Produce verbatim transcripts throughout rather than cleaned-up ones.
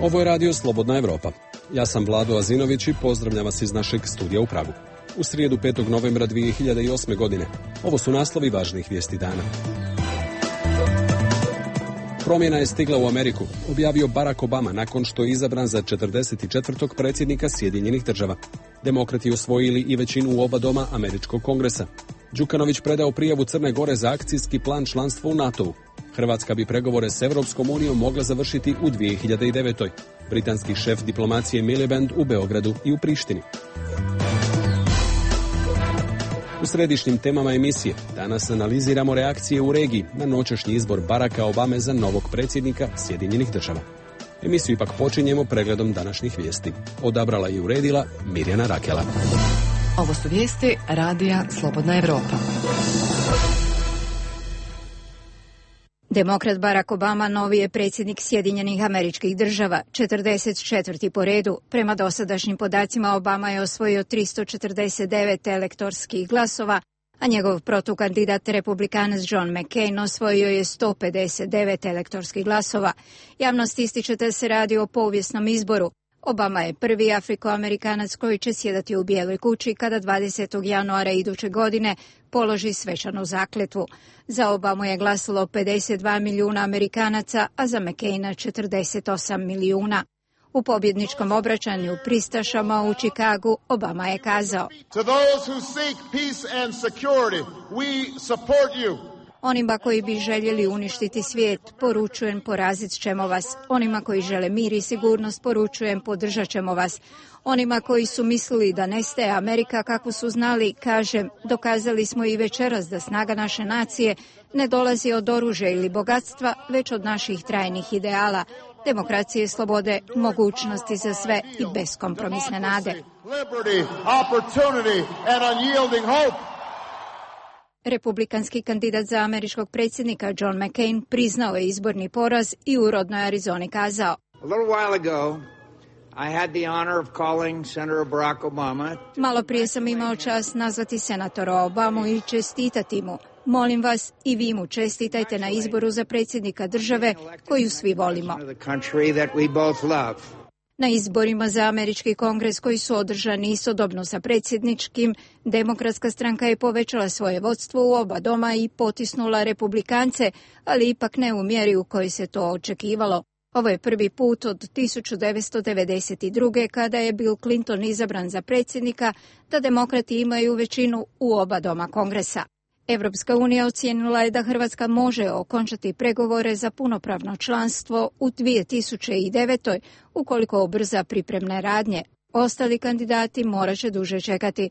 Ovo je radio Slobodna Evropa. Ja sam Vlado Azinović i pozdravljam vas iz našeg studija u Pragu. U srijedu petog novembra dvije hiljade osme. godine. Ovo su naslovi važnih vijesti dana. Promjena je stigla u Ameriku, objavio Barack Obama nakon što je izabran za četrdeset četvrtog predsjednika Sjedinjenih država. Demokrati osvojili i većinu u oba doma Američkog kongresa. Đukanović predao prijavu Crne Gore za akcijski plan članstva u NATO-u. Hrvatska bi pregovore s Europskom unijom mogla završiti u dvije hiljade devetoj. Britanski šef diplomacije Miliband u Beogradu i u Prištini. U središnjim temama emisije danas analiziramo reakcije u regiji na noćašnji izbor Baracka Obame za novog predsjednika Sjedinjenih država. Emisiju ipak počinjemo pregledom današnjih vijesti. Odabrala i uredila Mirjana Rakela. Ovo su vijesti radija Slobodna Evropa. Demokrat Barack Obama novi je predsjednik Sjedinjenih Američkih Država, četrdeset četvrti po redu. Prema dosadašnjim podacima Obama je osvojio tristo četrdeset devet elektorskih glasova, a njegov protukandidat republikanac John McCain osvojio je sto pedeset devet elektorskih glasova. Javnost ističe da se radi o povijesnom izboru. Obama je prvi Afrikoamerikanac koji će sjedati u Bijeloj kući kada dvadesetog januara iduće godine položi svečanu zakletvu. Za Obamu je glasalo pedeset dva milijuna Amerikanaca, a za McCaina četrdeset osam milijuna. U pobjedničkom obraćanju pristašama u Čikagu Obama je kazao: To those who seek peace and security, we support you. Onima koji bi željeli uništiti svijet, poručujem porazit ćemo vas. Onima koji žele mir i sigurnost, poručujem podržat ćemo vas. Onima koji su mislili da nestaje Amerika kako su znali, kažem, dokazali smo i večeras da snaga naše nacije ne dolazi od oružja ili bogatstva, već od naših trajnih ideala, demokracije, slobode, mogućnosti za sve i beskompromisne nade. Republikanski kandidat za američkog predsjednika John McCain priznao je izborni poraz i u rodnoj Arizoni kazao: Malo prije sam imao čast nazvati senatora Obamu i čestitati mu. Molim vas i vi mu čestitajte na izboru za predsjednika države koju svi volimo. Na izborima za američki kongres koji su održani istodobno sa predsjedničkim, Demokratska stranka je povećala svoje vodstvo u oba doma i potisnula republikance, ali ipak ne u mjeri u kojoj se to očekivalo. Ovo je prvi put od tisuću devetsto devedeset druge kada je Bill Clinton izabran za predsjednika da demokrati imaju većinu u oba doma kongresa. Evropska unija ocijenila je da Hrvatska može okončati pregovore za punopravno članstvo u dvije tisuće devetoj ukoliko ubrza pripremne radnje. Ostali kandidati morat će duže čekati.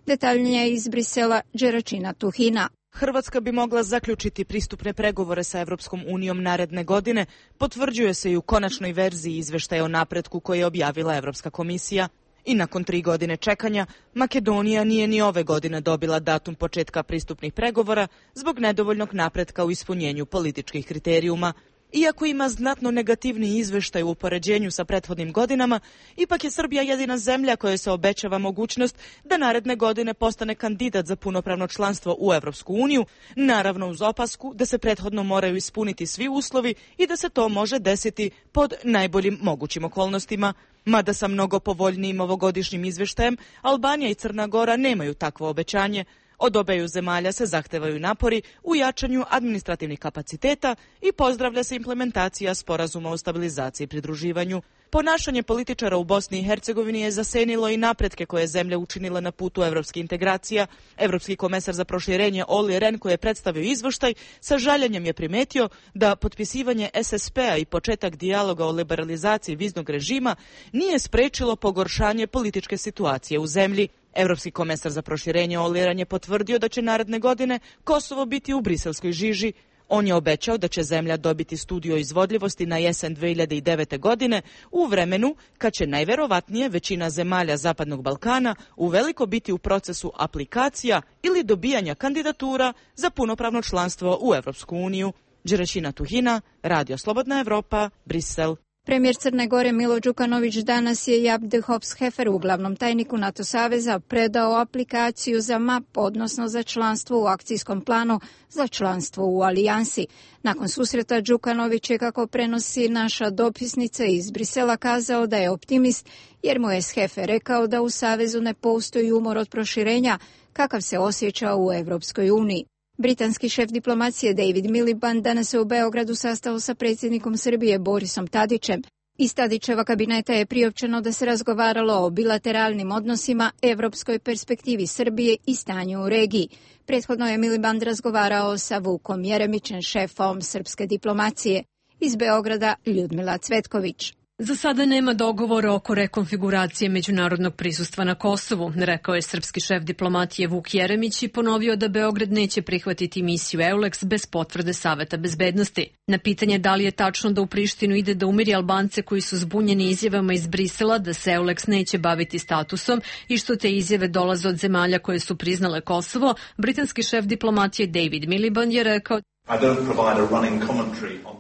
Detaljnije iz Brisela, Đeračina Tuhina. Hrvatska bi mogla zaključiti pristupne pregovore sa Evropskom unijom naredne godine, potvrđuje se i u konačnoj verziji izveštaja o napretku koje je objavila Evropska komisija. I nakon tri godine čekanja, Makedonija nije ni ove godine dobila datum početka pristupnih pregovora zbog nedovoljnog napretka u ispunjenju političkih kriterijuma. Iako ima znatno negativni izveštaj u upoređenju sa prethodnim godinama, ipak je Srbija jedina zemlja koja se obećava mogućnost da naredne godine postane kandidat za punopravno članstvo u Evropsku uniju, naravno uz opasku da se prethodno moraju ispuniti svi uslovi i da se to može desiti pod najboljim mogućim okolnostima. Mada sa mnogo povoljnijim ovogodišnjim izveštajem, Albanija i Crna Gora nemaju takvo obećanje. Od obeju zemalja se zahtevaju napori u jačanju administrativnih kapaciteta i pozdravlja se implementacija sporazuma o stabilizaciji i pridruživanju. Ponašanje političara u Bosni i Hercegovini je zasenilo i napretke koje je zemlja učinila na putu evropskih integracija. Evropski komesar za proširenje Olli Rehn, koji je predstavio izveštaj, sa žaljenjem je primetio da potpisivanje S S P-a i početak dijaloga o liberalizaciji viznog režima nije sprečilo pogoršanje političke situacije u zemlji. Evropski komesar za proširenje Olli Rehn je potvrdio da će naredne godine Kosovo biti u briselskoj žiži. On je obećao da će zemlja dobiti studiju o izvodljivosti na jesen dvije hiljade devete. godine u vremenu kad će najverovatnije većina zemalja Zapadnog Balkana uveliko biti u procesu aplikacija ili dobijanja kandidatura za punopravno članstvo u Evropsku uniju. Đeračina Tuhina, Radio Slobodna Evropa, Brisel. Premijer Crne Gore Milo Đukanović danas je Jaap de Hoop Schefferu, glavnom tajniku NATO saveza, predao aplikaciju za M A P, odnosno za članstvo u akcijskom planu za članstvo u alijansi. Nakon susreta Đukanović je, kako prenosi naša dopisnica iz Brisela, kazao da je optimist, jer mu je Scheffer rekao da u savezu ne postoji umor od proširenja kakav se osjeća u Evropskoj uniji. Britanski šef diplomacije David Miliband danas se u Beogradu sastao sa predsjednikom Srbije Borisom Tadićem. Iz Tadićeva kabineta je priopćeno da se razgovaralo o bilateralnim odnosima, evropskoj perspektivi Srbije i stanju u regiji. Prethodno je Miliband razgovarao sa Vukom Jeremićem, šefom srpske diplomacije. Iz Beograda Ljudmila Cvetković. Za sada nema dogovora oko rekonfiguracije međunarodnog prisustva na Kosovu, rekao je srpski šef diplomatije Vuk Jeremić i ponovio da Beograd neće prihvatiti misiju EULEX bez potvrde Saveta bezbednosti. Na pitanje da li je tačno da u Prištinu ide da umiri Albance koji su zbunjeni izjavama iz Brisela da se EULEX neće baviti statusom i što te izjave dolaze od zemalja koje su priznale Kosovo, britanski šef diplomatije David Miliband je rekao: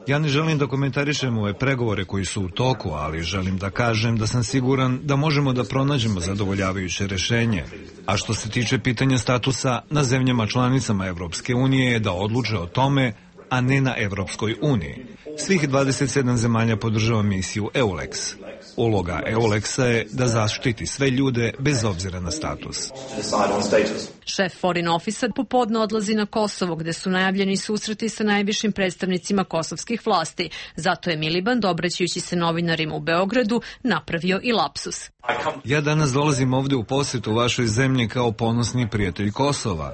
Ja ne želim da komentarišem ove pregovore koji su u toku, ali želim da kažem da sam siguran da možemo da pronađemo zadovoljavajuće rešenje. A što se tiče pitanja statusa, na zemljama članicama Evropske unije je da odluče o tome, a ne na Evropskoj uniji. Svih dvadeset sedam zemalja podržava misiju EULEX. Uloga EULEX-a je da zaštiti sve ljude bez obzira na status. Šef Foreign Office popodne odlazi na Kosovo, gde su najavljeni susreti sa najvišim predstavnicima kosovskih vlasti. Zato je Miliband, obraćajući se novinarima u Beogradu, napravio i lapsus. Ja danas dolazim ovde u posjetu vašoj zemlji kao ponosni prijatelj Kosova.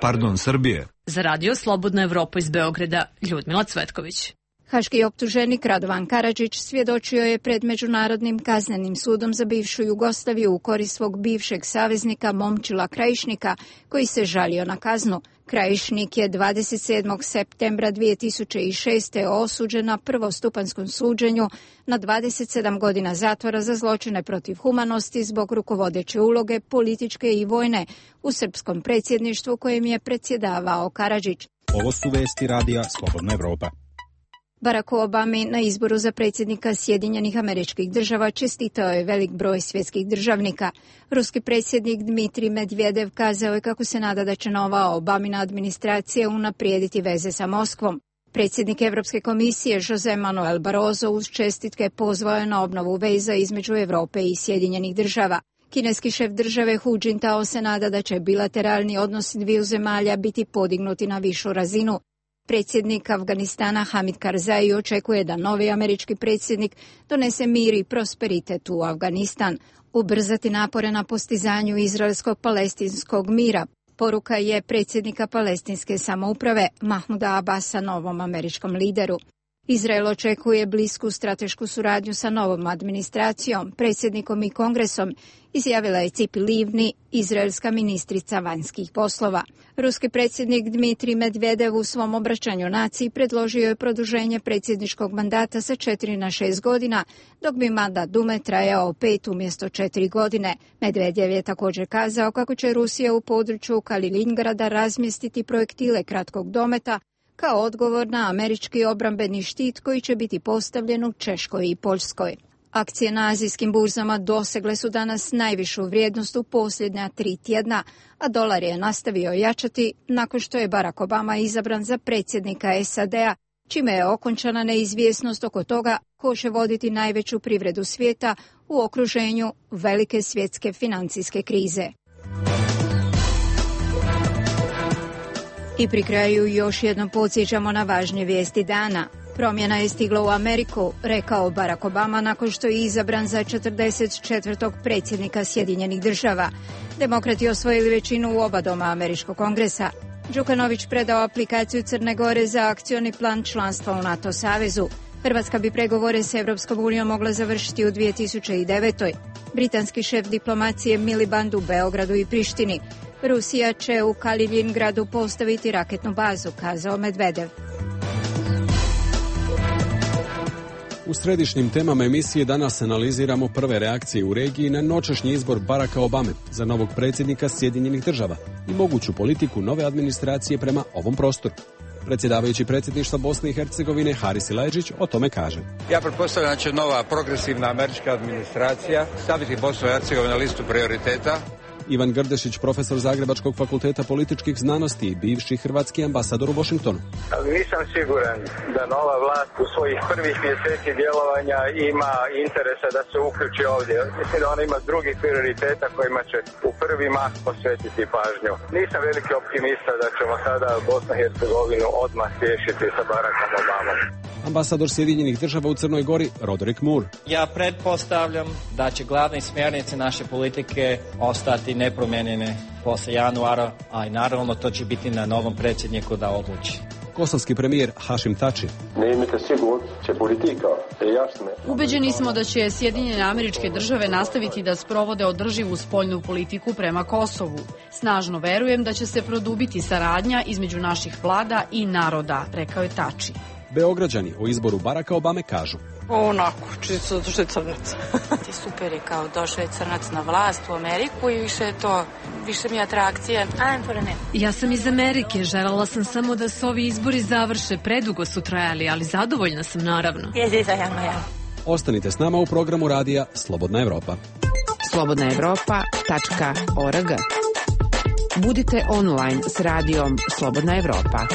Pardon, Srbije. Za radio Slobodna Evropa iz Beograda, Ljudmila Cvetković. Haški optuženik Radovan Karadžić svjedočio je pred Međunarodnim kaznenim sudom za bivšu Jugoslaviju u korist svog bivšeg saveznika Momčila Krajišnika, koji se žalio na kaznu. Krajišnik je dvadeset sedmog septembra dvije tisuće šeste. osuđen na prvostupanskom suđenju na dvadeset sedam godina zatvora za zločine protiv humanosti zbog rukovodeće uloge, političke i vojne, u srpskom predsjedništvu kojem je predsjedavao Karadžić. Ovo su vesti radija Slobodna Evropa. Barack Obama na izboru za predsjednika Sjedinjenih Američkih Država čestitao je velik broj svjetskih državnika. Ruski predsjednik Dmitrij Medvedev kazao je kako se nada da će nova Obamina administracija unaprijediti veze sa Moskvom. Predsjednik Evropske komisije Jose Manuel Barroso uz čestitke pozvao je na obnovu veza između Europe i Sjedinjenih Država. Kineski šef države Hu Jintao se nada da će bilateralni odnosi dviju zemalja biti podignuti na višu razinu. Predsjednik Afganistana Hamid Karzai očekuje da novi američki predsjednik donese mir i prosperitet u Afganistan, ubrzati napore na postizanju izraelsko-palestinskog mira. Poruka je predsjednika palestinske samouprave Mahmuda Abasa novom američkom lideru. Izrael očekuje blisku stratešku suradnju sa novom administracijom, predsjednikom i kongresom, izjavila je Cipi Livni, izraelska ministrica vanjskih poslova. Ruski predsjednik Dmitrij Medvedev u svom obraćanju naciji predložio je produženje predsjedničkog mandata sa četiri na šest godina, dok bi mandat Dume trajao pet umjesto četiri godine. Medvedev je također kazao kako će Rusija u području Kaliningrada razmjestiti projektile kratkog dometa kao odgovor na američki obrambeni štit koji će biti postavljen u Češkoj i Poljskoj. Akcije na azijskim burzama dosegle su danas najvišu vrijednost u posljednja tri tjedna, a dolar je nastavio jačati nakon što je Barack Obama izabran za predsjednika S A D-a, čime je okončana neizvjesnost oko toga ko će voditi najveću privredu svijeta u okruženju velike svjetske financijske krize. I pri kraju još jednom podsjećamo na važnje vijesti dana. Promjena je stigla u Ameriku, rekao Barack Obama nakon što je izabran za četrdeset četvrtog predsjednika Sjedinjenih Država. Demokrati osvojili većinu u oba doma američkog kongresa. Đukanović predao aplikaciju Crne Gore za akcioni plan članstva u NATO savezu. Hrvatska bi pregovore s Evropskom unijom mogla završiti u dvije tisuće devetoj. Britanski šef diplomacije Miliband u Beogradu i Prištini. Rusija će u Kaliningradu postaviti raketnu bazu, kazao Medvedev. U središnjim temama emisije danas analiziramo prve reakcije u regiji na noćašnji izbor Baracka Obame za novog predsjednika Sjedinjenih Država i moguću politiku nove administracije prema ovom prostoru. Predsjedavajući predsjedništva Bosne i Hercegovine Haris Silajdžić o tome kaže: Ja pretpostavljam da će nova progresivna američka administracija staviti Bosnu i Hercegovinu na listu prioriteta. Ivan Grdešić, profesor Zagrebačkog fakulteta političkih znanosti i bivši hrvatski ambasador u Washingtonu. Nisam siguran da nova vlast u svojih prvih mjeseci djelovanja ima interesa da se uključi ovdje. Mislim da ona ima drugih prioriteta kojima će u prvi mah posvetiti pažnju. Nisam veliki optimista da ćemo sada Bosnu i Hercegovinu odmah riješiti sa Barackom Obamom. Ambasador Sjedinjenih država u Crnoj Gori, Roderick Moore. Ja pretpostavljam da će glavne smjernice naše politike ostati nepromijenjene posle januara, a i naravno to će biti na novom predsjedniku da odluči. Kosovski premijer Hašim Tači. Ubeđeni smo da će Sjedinjene Američke Države nastaviti da sprovode održivu spoljnu politiku prema Kosovu. Snažno verujem da će se produbiti saradnja između naših vlada i naroda, rekao je Tači. Beograđani o izboru Baracka Obame kažu: Onako, čisto zato što je crnac. Super je kao došao je crnac na vlast u Ameriku i više je to, više mi je atrakcija. Ja sam iz Amerike, željela sam samo da se ovi izbori završe, predugo su trajali, ali zadovoljna sam naravno. Ostanite s nama u programu radija Slobodna Evropa. slobodna evropa tačka org. Budite online s radijom Slobodna Evropa.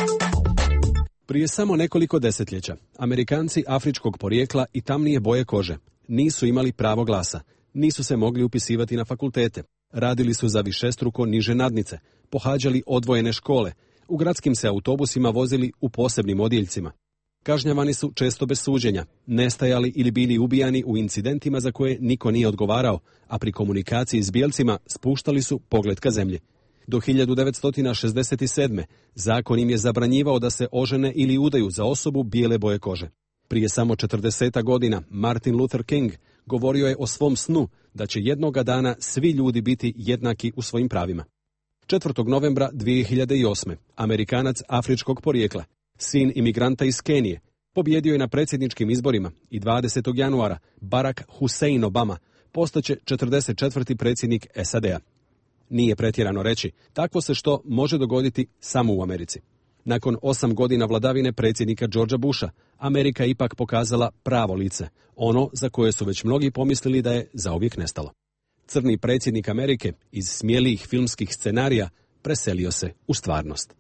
Prije samo nekoliko desetljeća, Amerikanci afričkog porijekla i tamnije boje kože nisu imali pravo glasa, nisu se mogli upisivati na fakultete, radili su za višestruko niže nadnice, pohađali odvojene škole, u gradskim se autobusima vozili u posebnim odjeljcima. Kažnjavani su često bez suđenja, nestajali ili bili ubijani u incidentima za koje niko nije odgovarao, a pri komunikaciji s bijelcima spuštali su pogled ka zemlji. Do hiljadu devetsto šezdeset sedme. zakon im je zabranjivao da se ožene ili udaju za osobu bijele boje kože. Prije samo četrdeset godina Martin Luther King govorio je o svom snu da će jednoga dana svi ljudi biti jednaki u svojim pravima. četvrtog novembra dvije hiljade osme. Amerikanac afričkog porijekla, sin imigranta iz Kenije, pobjedio je na predsjedničkim izborima i dvadesetog januara Barack Hussein Obama postaće četrdeset četvrti predsjednik S A D-a. Nije pretjerano reći, takvo se što može dogoditi samo u Americi. Nakon osam godina vladavine predsjednika Georgea Busha, Amerika je ipak pokazala pravo lice, ono za koje su već mnogi pomislili da je zauvijek nestalo. Crni predsjednik Amerike iz smjelijih filmskih scenarija preselio se u stvarnost.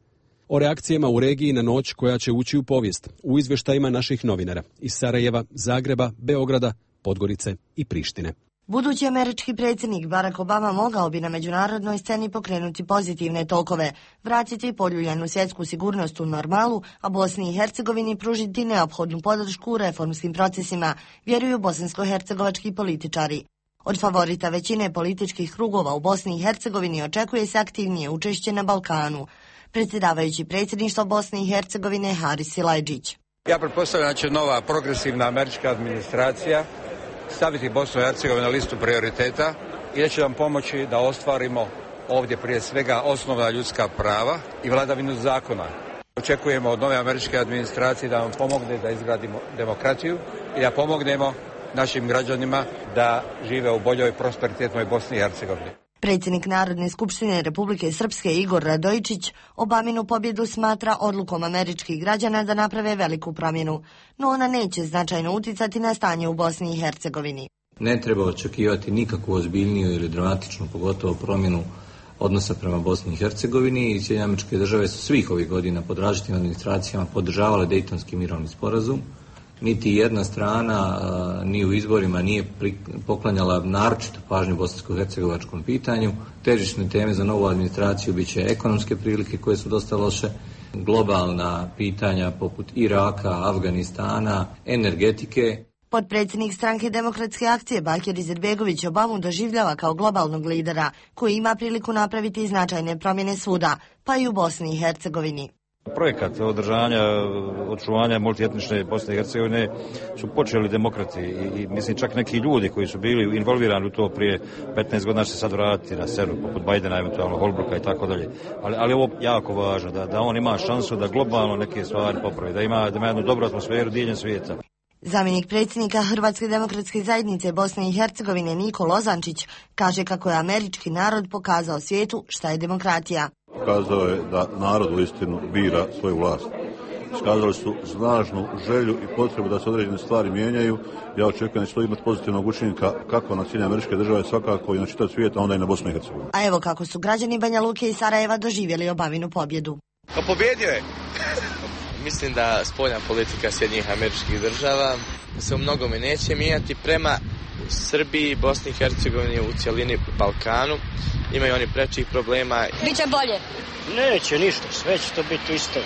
O reakcijama u regiji na noć koja će ući u povijest, u izvještajima naših novinara iz Sarajeva, Zagreba, Beograda, Podgorice i Prištine. Budući američki predsjednik Barack Obama mogao bi na međunarodnoj sceni pokrenuti pozitivne tokove, vratiti poljuljanu svjetsku sigurnost u normalu, a Bosni i Hercegovini pružiti neophodnu podršku u reformskim procesima, vjeruju bosansko-hercegovački političari. Od favorita većine političkih krugova u Bosni i Hercegovini očekuje se aktivnije učešće na Balkanu. Predsjedavajući predsjedništva Bosne i Hercegovine Haris Silajdžić. Ja pretpostavljam da će nova progresivna američka administracija staviti Bosnu i Hercegovinu na listu prioriteta i da će nam pomoći da ostvarimo ovdje prije svega osnovna ljudska prava i vladavinu zakona. Očekujemo od nove američke administracije da nam pomogne da izgradimo demokratiju i da pomognemo našim građanima da žive u boljoj prosperitetnoj Bosni i Hercegovini. Predsjednik Narodne skupštine Republike Srpske Igor Radojičić Obaminu pobjedu smatra odlukom američkih građana da naprave veliku promjenu, no ona neće značajno uticati na stanje u Bosni i Hercegovini. Ne treba očekivati nikakvu ozbiljniju ili dramatičnu, pogotovo promjenu odnosa prema Bosni i Hercegovini i Sjedinjene Američke Države su svih ovih godina pod različitim administracijama podržavale Dejtonski mirovni sporazum. Niti jedna strana a, ni u izborima nije pri, poklanjala naročitu pažnju bosansko-hercegovačkom pitanju. Težišne teme za novu administraciju bit će ekonomske prilike koje su dosta loše, globalna pitanja poput Iraka, Afganistana, energetike. Potpredsjednik stranke Demokratske akcije Bakir Izetbegović Obamu doživljava kao globalnog lidera koji ima priliku napraviti značajne promjene svuda, pa i u Bosni i Hercegovini. Projekat održanja, očuvanja multietnične Bosne i Hercegovine su počeli demokrati i, i mislim čak neki ljudi koji su bili involvirani u to prije petnaest godina će se sad vratiti na scenu poput Bajdena, eventualno Holbrooka i tako dalje. Ali, ali ovo jako važno, da, da on ima šansu da globalno neke stvari popravi, da ima, da ima jednu dobru atmosferu diljem svijeta. Zamjenik predsjednika Hrvatske demokratske zajednice Bosne i Hercegovine Niko Lozančić kaže kako je američki narod pokazao svijetu šta je demokratija. Pokazao je da narod uistinu bira svoju vlast. iskazali su snažnu želju i potrebu da se određene stvari mijenjaju. Ja očekujem da će to imati pozitivnog učinka kako na Sjedinjene Američke Države, svakako i na čitav svijet, a onda i na Bosnu i Hercegovinu. A evo kako su građani Banja Luke i Sarajeva doživjeli Obaminu pobjedu. Pa pobjedio je! Mislim da spoljna politika Sjedinjenih Američkih Država se u mnogome neće mijenjati prema Srbiji, Bosni i Hercegovini, u cjelini Balkanu. Imaju oni prečih problema. Biće bolje? Neće ništa, sve će to biti isto.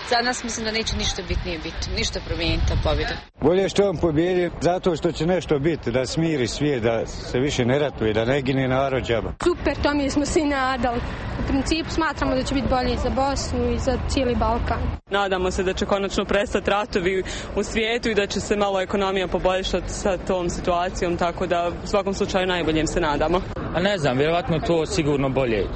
Za nas mislim da neće ništa bitnije biti, ništa promijeniti ta pobjeda. Bolje što on pobjedi, zato što će nešto biti, da smiri svijet, da se više ne ratuje, da ne gine narod džaba. Super, to mi smo svi nadali. U principu smatramo da će biti bolje i za Bosnu i za cijeli Balkan. Nadamo se da će konačno prestati ratovi u svijetu i da će se malo ekonomija poboljšati sa tom situacijom, tako da u svakom slučaju najboljem se nadamo. A ne znam, vjerovatno to sigurno bolje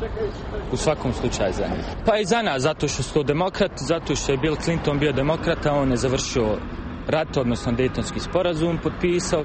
u svakom slučaju za njih. Pa i za nas, zato što su to demokrati, zato što je Bill Clinton bio demokrata, on je završio rat, odnosno Dejtonski sporazum, potpisao.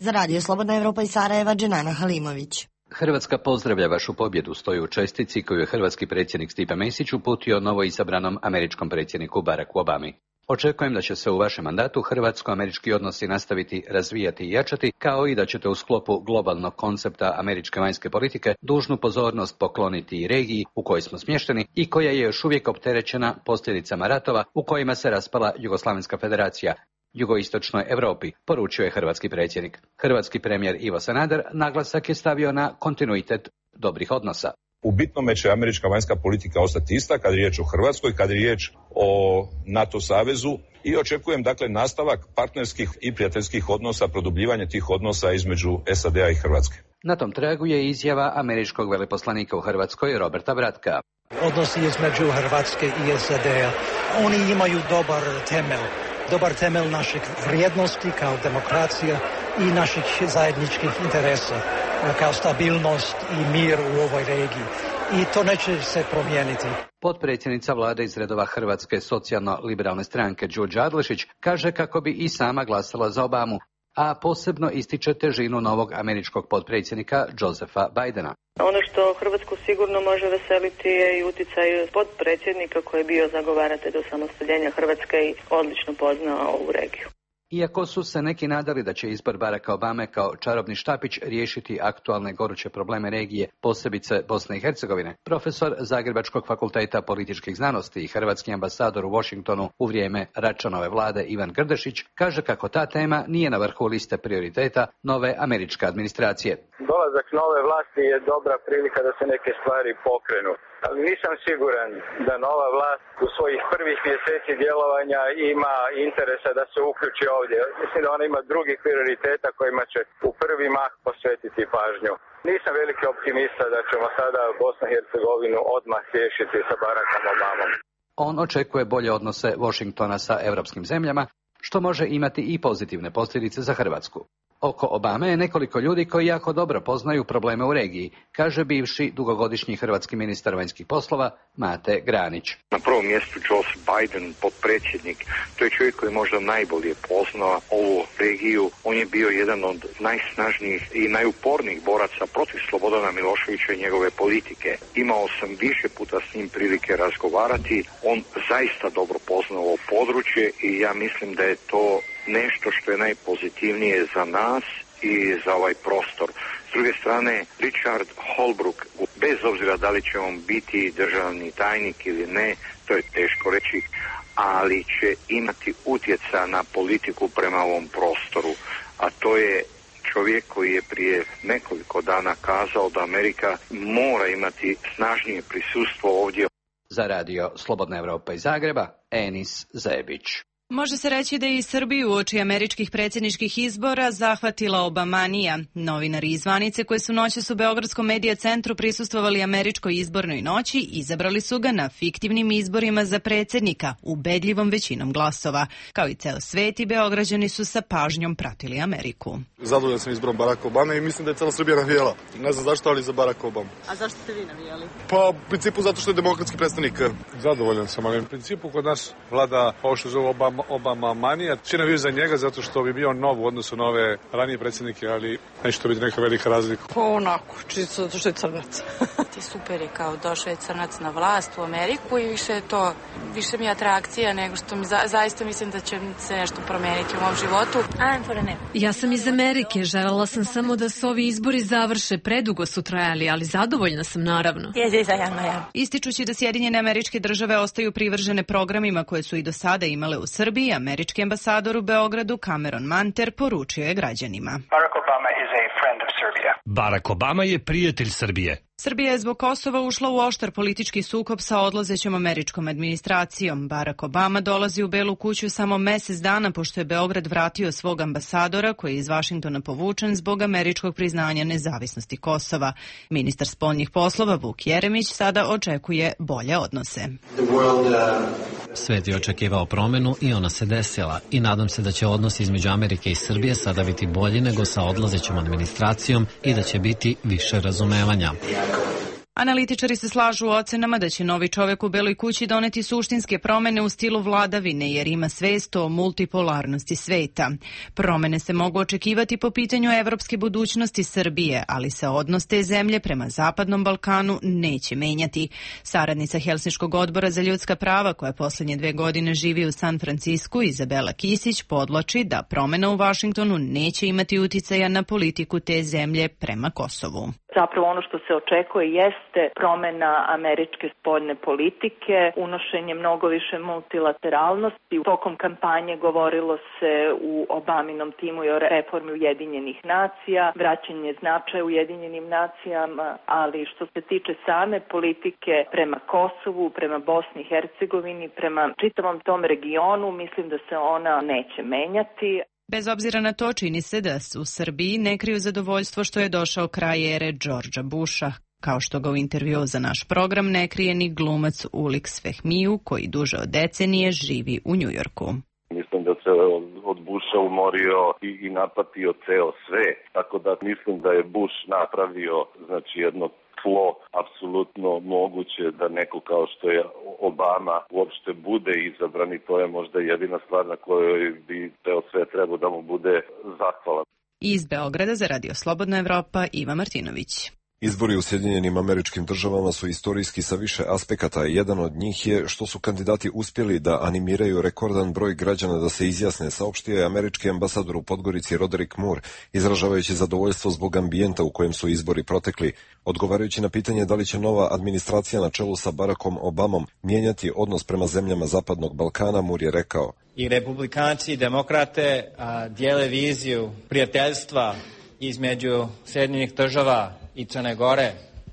Za Radio Slobodna Evropa iz Sarajeva, Dženana Halimović. Hrvatska pozdravlja vašu pobjedu, stoji u čestitci koju je hrvatski predsjednik Stipe Mesić uputio novo izabranom američkom predsjedniku Baracku Obami. Očekujem da će se u vašem mandatu hrvatsko-američki odnosi nastaviti razvijati i jačati, kao i da ćete u sklopu globalnog koncepta američke vanjske politike dužnu pozornost pokloniti i regiji u kojoj smo smješteni i koja je još uvijek opterećena posljedicama ratova u kojima se raspala Jugoslavenska federacija, jugoistočnoj Europi, poručio je hrvatski predsjednik. Hrvatski premijer Ivo Sanader naglasak je stavio na kontinuitet dobrih odnosa. U bitnome će američka vanjska politika ostati ista kad je riječ o Hrvatskoj, kad je riječ o NATO savezu i očekujem dakle nastavak partnerskih i prijateljskih odnosa, produbljivanje tih odnosa između S A D-a i Hrvatske. Na tom tragu je izjava američkog veleposlanika u Hrvatskoj Roberta Bratka. Odnosi između Hrvatske i S A D-a, oni imaju dobar temelj. Dobar temelj naših vrijednosti kao demokracija i naših zajedničkih interesa kao stabilnost i mir u ovoj regiji. I to neće se promijeniti. Potpredsjednica vlade iz redova Hrvatske socijalno-liberalne stranke Đurđa Adlešić kaže kako bi i sama glasala za Obamu, a posebno ističe težinu novog američkog potpredsjednika Josepha Bidena. Ono što Hrvatsku sigurno može veseliti je i utjecaj potpredsjednika koji je bio zagovaratelj osamostaljenja Hrvatske i odlično poznao ovu regiju. Iako su se neki nadali da će izbor Baracka Obame kao čarobni štapić riješiti aktualne goruće probleme regije, posebice Bosne i Hercegovine, profesor Zagrebačkog fakulteta političkih znanosti i hrvatski ambasador u Washingtonu u vrijeme Račanove vlade Ivan Grdešić kaže kako ta tema nije na vrhu liste prioriteta nove američke administracije. Dolazak nove vlasti je dobra prilika da se neke stvari pokrenu. Ali nisam siguran da nova vlast u svojih prvih mjeseci djelovanja ima interesa da se uključi ovdje. Mislim da ona ima drugih prioriteta kojima će u prvi mah posvetiti pažnju. Nisam veliki optimista da ćemo sada Bosnu i Hercegovinu odmah riješiti sa Barackom Obamom. On očekuje bolje odnose Washingtona sa europskim zemljama, što može imati i pozitivne posljedice za Hrvatsku. Oko Obame je nekoliko ljudi koji jako dobro poznaju probleme u regiji, kaže bivši dugogodišnji hrvatski ministar vanjskih poslova Mate Granić. Na prvom mjestu Joseph Biden, potpredsjednik, to je čovjek koji možda najbolje poznao ovu regiju. On je bio jedan od najsnažnijih i najupornijih boraca protiv Slobodana Miloševića i njegove politike. Imao sam više puta s njim prilike razgovarati. On zaista dobro poznao ovo područje i ja mislim da je to nešto što je najpozitivnije za nas i za ovaj prostor. S druge strane, Richard Holbrooke, bez obzira da li će on biti državni tajnik ili ne, to je teško reći, ali će imati utjecaja na politiku prema ovom prostoru. A to je čovjek koji je prije nekoliko dana kazao da Amerika mora imati snažnije prisustvo ovdje. Za radio Slobodna Evropa iz Zagreba, Enis Zebić. Može se reći da je i Srbiju uoči američkih predsjedničkih izbora zahvatila Obamanija. Novinari iz zvanice koji su noćas u Beogradskom medija centru prisustvovali američkoj izbornoj noći izabrali su ga na fiktivnim izborima za predsjednika, ubedljivom većinom glasova. Kao i ceo svet i Beograđani su sa pažnjom pratili Ameriku. Zadovoljan sam izborom Baracka Obame i mislim da je cela Srbija navijala. Ne znam zašto, ali za Baracka Obama. A zašto ste vi navijali? Pa u principu zato što je demokratski predstavnik. Zadovoljan sam, ali u principu kod nas vlada ovo što zove Obama Obama manija. Čina bio za njega zato što bi bio nov u odnosu na ove ranije predsjednike, ali neće to biti neka velika razlika. Pa onako, čisto zato što je crnac. Ti super je kao došao je crnac na vlast u Ameriku i više je to, više mi je atrakcija nego što mi za, zaista mislim da će se nešto promeniti u mom životu. I'm for a nap. Ja sam iz Amerike, želela sam samo da se ovi izbori završe, predugo su trajali, ali zadovoljna sam naravno. Ističući da Sjedinjene Američke Države ostaju privržene programima koje su i do sada imale u Srbiji, američki ambasador u Beogradu Cameron Manter poručio je građanima. Barack Obama is a friend of Serbia. Barack Obama je prijatelj Srbije. Srbija je zbog Kosova ušla u oštar politički sukob sa odlazećom američkom administracijom. Barack Obama dolazi u Belu kuću samo mesec dana pošto je Beograd vratio svog ambasadora koji je iz Vašingtona povučen zbog američkog priznanja nezavisnosti Kosova. Ministar spoljnih poslova Vuk Jeremić sada očekuje bolje odnose. Svet je očekivao promenu i ona se desila i nadam se da će odnos između Amerike i Srbije sada biti bolji nego sa odlazećom administracijom i da će biti više razumevanja. Analitičari se slažu u ocenama da će novi čovjek u Beloj kući doneti suštinske promjene u stilu vladavine jer ima svest o multipolarnosti sveta. Promjene se mogu očekivati po pitanju evropske budućnosti Srbije, ali se odnos te zemlje prema Zapadnom Balkanu neće menjati. Saradnica Helsinškog odbora za ljudska prava koja posljednje dve godine živi u San Francisku, Izabela Kisić, podvlači da promjena u Vašingtonu neće imati uticaja na politiku te zemlje prema Kosovu. Zapravo ono što se očekuje jeste promjena američke spoljne politike, unošenje mnogo više multilateralnosti. Tokom kampanje govorilo se u Obaminom timu i o reformi Ujedinjenih nacija, vraćanje značaja Ujedinjenim nacijama, ali što se tiče same politike prema Kosovu, prema Bosni i Hercegovini, prema čitavom tom regionu, mislim da se ona neće menjati. Bez obzira na to, čini se da u Srbiji ne kriju zadovoljstvo što je došao kraj ere Đorđa Busha, kao što ga u intervju za naš program ne krije ni glumac Ulix Fehmiju, koji duže od decenije živi u Njujorku. Mislim da se od Busha umorio i, i napatio ceo svet, tako da mislim da je Bush napravio znači jedno tlo apsolutno moguće da neko kao što je Obama uopšte bude izabran i to je možda jedina stvar na kojoj bi ceo svet trebao da mu bude zahvalan. Iz Beograda za Radio Slobodna Evropa, Iva Martinović. Izbori u Sjedinjenim Američkim Državama su istorijski sa više aspekata. Jedan od njih je što su kandidati uspjeli da animiraju rekordan broj građana da se izjasne, saopštio je američki ambasador u Podgorici Roderick Moore, izražavajući zadovoljstvo zbog ambijenta u kojem su izbori protekli. Odgovarajući na pitanje da li će nova administracija na čelu sa Barackom Obamom mijenjati odnos prema zemljama Zapadnog Balkana, Moore je rekao: I republikanci i demokrate a, dijele viziju prijateljstva između Sjedinjenih država i Crne Gore,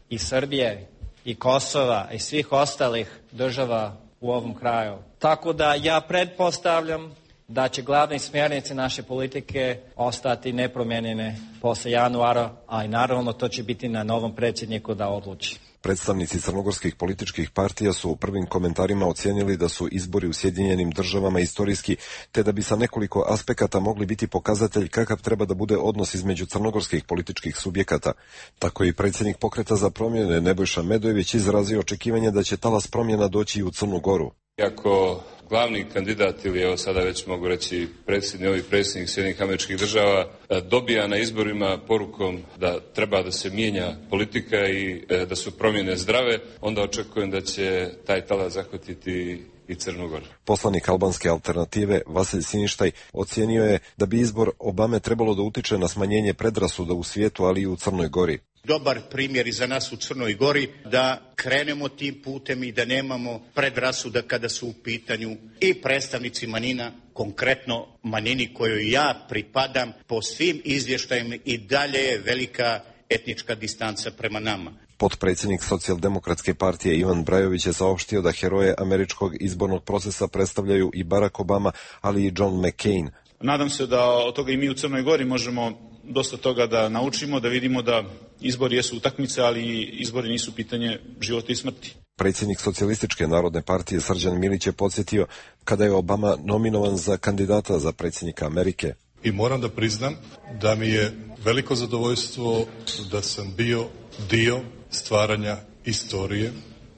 i Srbije, i Kosova, i svih ostalih država u ovom kraju. Tako da ja pretpostavljam da će glavne smjernice naše politike ostati nepromijenjene posle januara, a i naravno to će biti na novom predsjedniku da odluči. Predstavnici crnogorskih političkih partija su u prvim komentarima ocijenili da su izbori u Sjedinjenim Državama istorijski, te da bi sa nekoliko aspekata mogli biti pokazatelj kakav treba da bude odnos između crnogorskih političkih subjekata. Tako je i predsjednik Pokreta za promjene Nebojša Medojević izrazio očekivanje da će talas promjena doći i u Crnu Goru. Iako glavni kandidat ili evo sada već mogu reći predsjednik, novi predsjednik Sjedinjenih Američkih Država dobija na izborima porukom da treba da se mijenja politika i da su promjene zdrave, onda očekujem da će taj talas zahvatiti i Crnu Goru. Poslanik albanske alternative Vasilj Siništaj ocijenio je da bi izbor Obame trebalo da utiče na smanjenje predrasuda u svijetu, ali i u Crnoj Gori. Dobar primjer i za nas u Crnoj Gori da krenemo tim putem i da nemamo predrasuda kada su u pitanju i predstavnici manjina, konkretno manjini kojoj ja pripadam, po svim izvještajima i dalje je velika etnička distanca prema nama. Potpredsjednik Socijaldemokratske partije Ivan Brajović je saopštio da heroje američkog izbornog procesa predstavljaju i Barack Obama, ali i John McCain. Nadam se da od toga i mi u Crnoj Gori možemo dosta toga da naučimo, da vidimo da izbori jesu utakmice, ali izbori nisu pitanje života i smrti. Predsjednik Socijalističke narodne partije Srđan Milić je podsjetio kada je Obama nominovan za kandidata za predsjednika Amerike. I moram da priznam da mi je veliko zadovoljstvo da sam bio dio stvaranja istorije,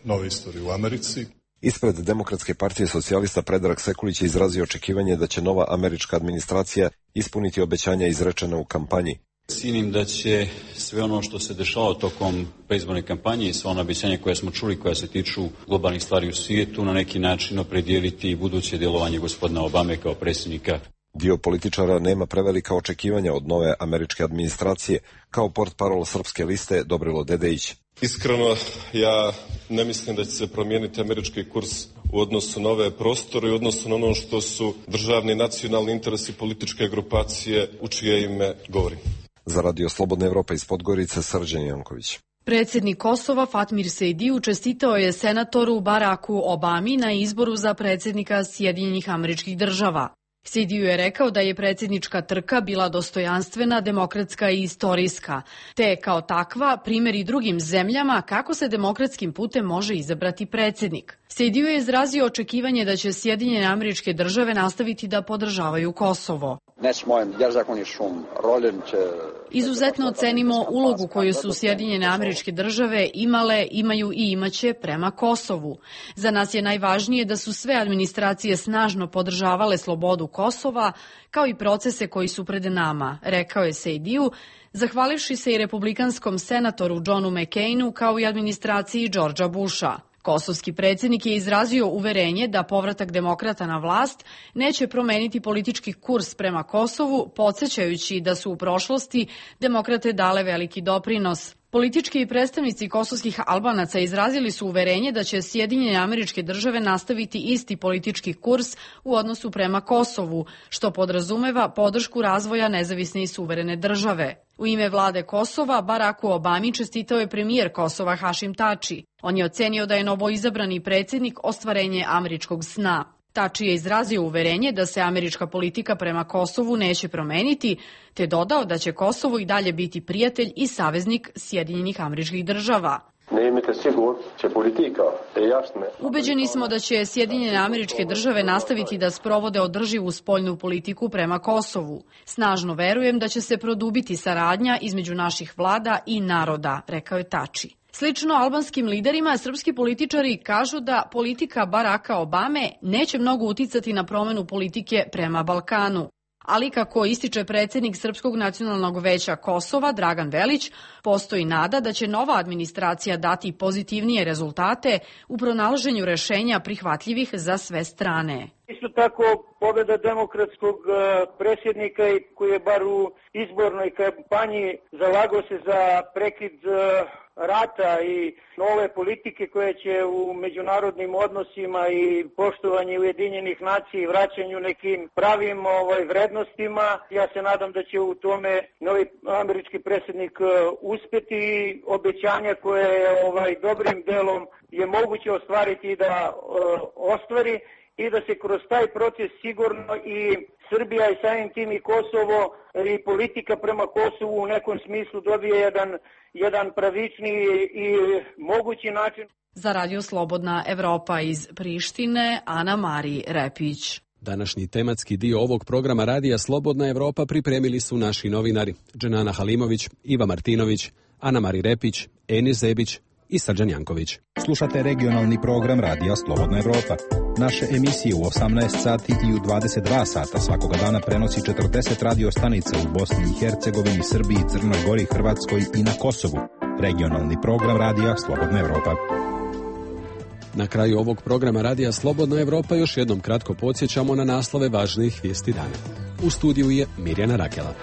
nove istorije u Americi. Ispred Demokratske partije socijalista Predrag Sekulić je izrazio očekivanje da će nova američka administracija ispuniti obećanja izrečene u kampanji. Cijenim da će sve ono što se dešava tokom predizborne kampanje i sva ona obećanja koja smo čuli koja se tiču globalnih stvari u svijetu na neki način opredijeliti buduće djelovanje gospodina Obame kao predsjednika. Dio političara nema prevelika očekivanja od nove američke administracije, kao portparol Srpske liste Dobrilo Dedejić. Iskreno, ja ne mislim da će se promijeniti američki kurs u odnosu na ove prostore i u odnosu na ono što su državni nacionalni interesi političke grupacije u čije ime govorim. Za Radio Slobodna Evropa iz Podgorice, Srđan Janković. Predsjednik Kosova Fatmir Sejdiu čestitao je senatoru Baracku Obami na izboru za predsjednika Sjedinjenih Američkih Država. Sejdiu je rekao da je predsjednička trka bila dostojanstvena, demokratska i istorijska, te je kao takva primjer i drugim zemljama kako se demokratskim putem može izabrati predsjednik. Sejdiu je izrazio očekivanje da će Sjedinjene Američke Države nastaviti da podržavaju Kosovo. Izuzetno ocenimo ulogu koju su Sjedinjene Američke Države imale, imaju i imaće prema Kosovu. Za nas je najvažnije da su sve administracije snažno podržavale slobodu Kosova, kao i procese koji su pred nama, rekao je Sejdiu, zahvalivši se i republikanskom senatoru Johnu McCainu kao i administraciji Georgea Busha. Kosovski predsjednik je izrazio uverenje da povratak demokrata na vlast neće promeniti politički kurs prema Kosovu, podsjećajući da su u prošlosti demokrate dale veliki doprinos. Politički predstavnici kosovskih Albanaca izrazili su uverenje da će Sjedinjene Američke Države nastaviti isti politički kurs u odnosu prema Kosovu, što podrazumeva podršku razvoja nezavisne i suverene države. U ime vlade Kosova, Baracku Obami čestitao je premijer Kosova Hašim Tači. On je ocenio da je novoizabrani predsjednik ostvarenje američkog sna. Tači je izrazio uverenje da se američka politika prema Kosovu neće promeniti, te dodao da će Kosovo i dalje biti prijatelj i saveznik Sjedinjenih Američkih Država. Ubeđeni smo da će Sjedinjene Američke Države nastaviti da sprovode održivu spoljnu politiku prema Kosovu. Snažno verujem da će se produbiti saradnja između naših vlada i naroda, rekao je Tači. Slično albanskim liderima, srpski političari kažu da politika Baracka Obame neće mnogo uticati na promjenu politike prema Balkanu. Ali kako ističe predsjednik Srpskog nacionalnog veća Kosova, Dragan Velić, postoji nada da će nova administracija dati pozitivnije rezultate u pronalaženju rešenja prihvatljivih za sve strane. Isto tako, pobjeda demokratskog predsjednika koji je bar u izbornoj kampanji zalagao se za prekid rata i nove politike koje će u međunarodnim odnosima i poštovanju Ujedinjenih nacija i vraćanju nekim pravim ovaj, vrednostima. Ja se nadam da će u tome novi američki predsjednik uspjeti i obećanja koje ovaj, dobrim delom je moguće ostvariti da uh, ostvari i da se kroz taj proces sigurno i Srbija i samim tim i Kosovo i politika prema Kosovu u nekom smislu dobije jedan, jedan pravičniji i mogući način. Za Radio Slobodna Evropa iz Prištine, Ana Mari Repić. Današnji tematski dio ovog programa Radija Slobodna Evropa pripremili su naši novinari Dženana Halimović, Iva Martinović, Ana Mari Repić, Enis Zebić i Srđan Janković. Slušate regionalni program Radija Slobodna Evropa. Naše emisije u osamnaest sati i u dvadeset dva sata svakoga dana prenosi četrdeset radio stanica u Bosni i Hercegovini, Srbiji, Crnoj Gori, Hrvatskoj i na Kosovu. Regionalni program Radija Slobodna Evropa. Na kraju ovog programa Radija Slobodna Evropa još jednom kratko podsjećamo na naslove važnijih vijesti dana. U studiju je Mirjana Rakela.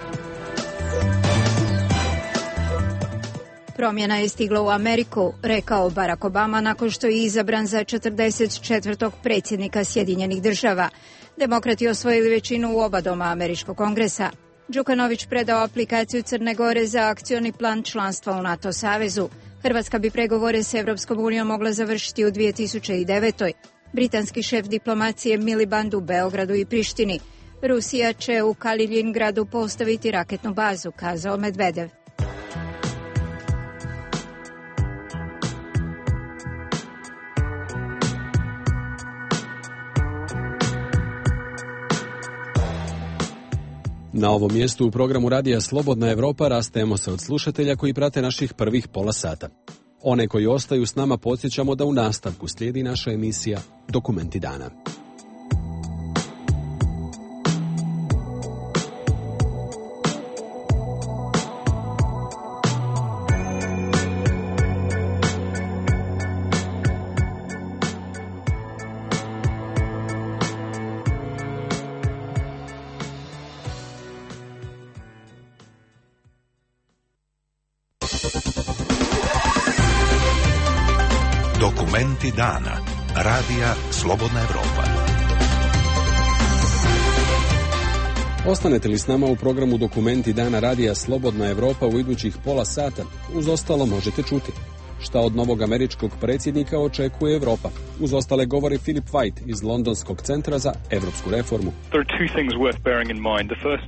Promjena je stigla u Ameriku, rekao Barack Obama nakon što je izabran za četrdeset četvrtog predsjednika Sjedinjenih Država. Demokrati osvojili većinu u oba doma američkog kongresa. Đukanović predao aplikaciju Crne Gore za akcioni plan članstva u NATO savezu. Hrvatska bi pregovore s Evropskom unijom mogla završiti u dvije tisuće devetoj. Britanski šef diplomacije Miliband u Beogradu i Prištini. Rusija će u Kaliningradu postaviti raketnu bazu, kazao Medvedev. Na ovom mjestu u programu Radija Slobodna Evropa rastajemo se od slušatelja koji prate naših prvih pola sata. One koji ostaju s nama podsjećamo da u nastavku slijedi naša emisija Dokumenti dana. Dokumenti dana. Radija Slobodna Evropa. Ostanete li s nama u programu Dokumenti dana Radija Slobodna Evropa u idućih pola sata? Uz ostalo možete čuti šta od novog američkog predsjednika očekuje Evropa. Uz ostale govori Philip White iz Londonskog centra za evropsku reformu.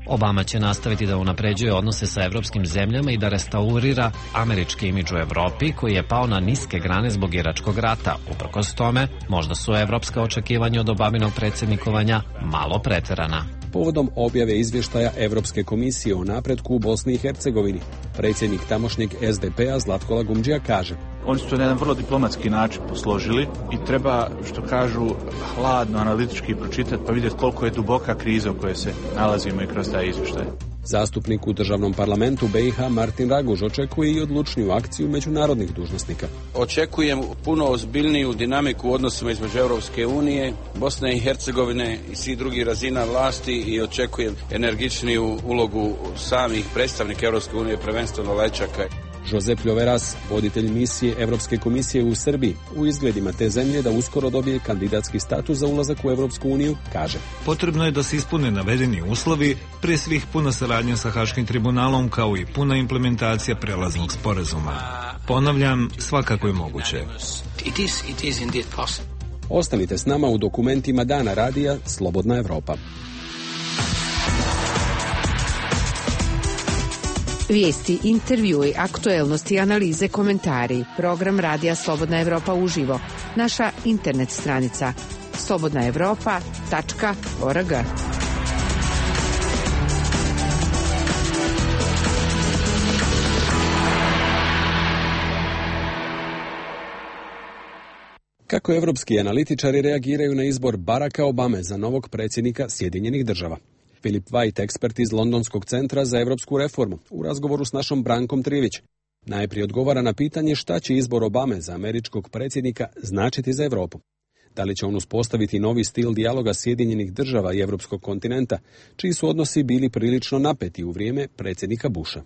Obama će nastaviti da unapređuje odnose sa evropskim zemljama i da restaurira američki imidž u Evropi koji je pao na niske grane zbog Iračkog rata. Uprkos tome, možda su evropska očekivanja od Obaminog predsjednikovanja malo preterana. Povodom objave izvještaja Evropske komisije o napretku u Bosni i Hercegovini, predsjednik tamošnjeg es de pe a Zlatko Lagumdžija kaže: Oni su to na jedan vrlo diplomatski način posložili i treba, što kažu, hladno analitički pročitati pa vidjeti koliko je duboka kriza u kojoj se nalazimo i kroz taj izvještaj. Zastupnik u državnom parlamentu be i ha Martin Raguž očekuje i odlučniju akciju međunarodnih dužnosnika. Očekujem puno ozbiljniju dinamiku u odnosima između Europske unije, Bosne i Hercegovine i svih drugih razina vlasti i očekujem energičniju ulogu samih predstavnika Europske unije, prvenstveno Lečaka. Josep Ljoveras, voditelj misije Evropske komisije u Srbiji, u izgledima te zemlje da uskoro dobije kandidatski status za ulazak u Evropsku uniju, kaže: Potrebno je da se ispune navedeni uslovi, prije svih puna saradnja sa Haškim tribunalom kao i puna implementacija prelaznog sporazuma. Ponavljam, svakako je moguće. It is, it is indeed possible. Ostanite s nama u dokumentima dana radija Slobodna Evropa. Vijesti, intervjui, aktuelnosti, analize, komentari. Program Radija Slobodna Evropa uživo. Naša internet stranica slobodna evropa tačka org. Kako evropski analitičari reagiraju na izbor Baracka Obame za novog predsjednika Sjedinjenih država? Philip White, ekspert iz Londonskog centra za evropsku reformu, u razgovoru s našom Brankom Trivić. Najprije odgovara na pitanje šta će izbor Obame za američkog predsjednika značiti za Evropu. Da li će on uspostaviti novi stil dijaloga Sjedinjenih država i evropskog kontinenta, čiji su odnosi bili prilično napeti u vrijeme predsjednika Busha.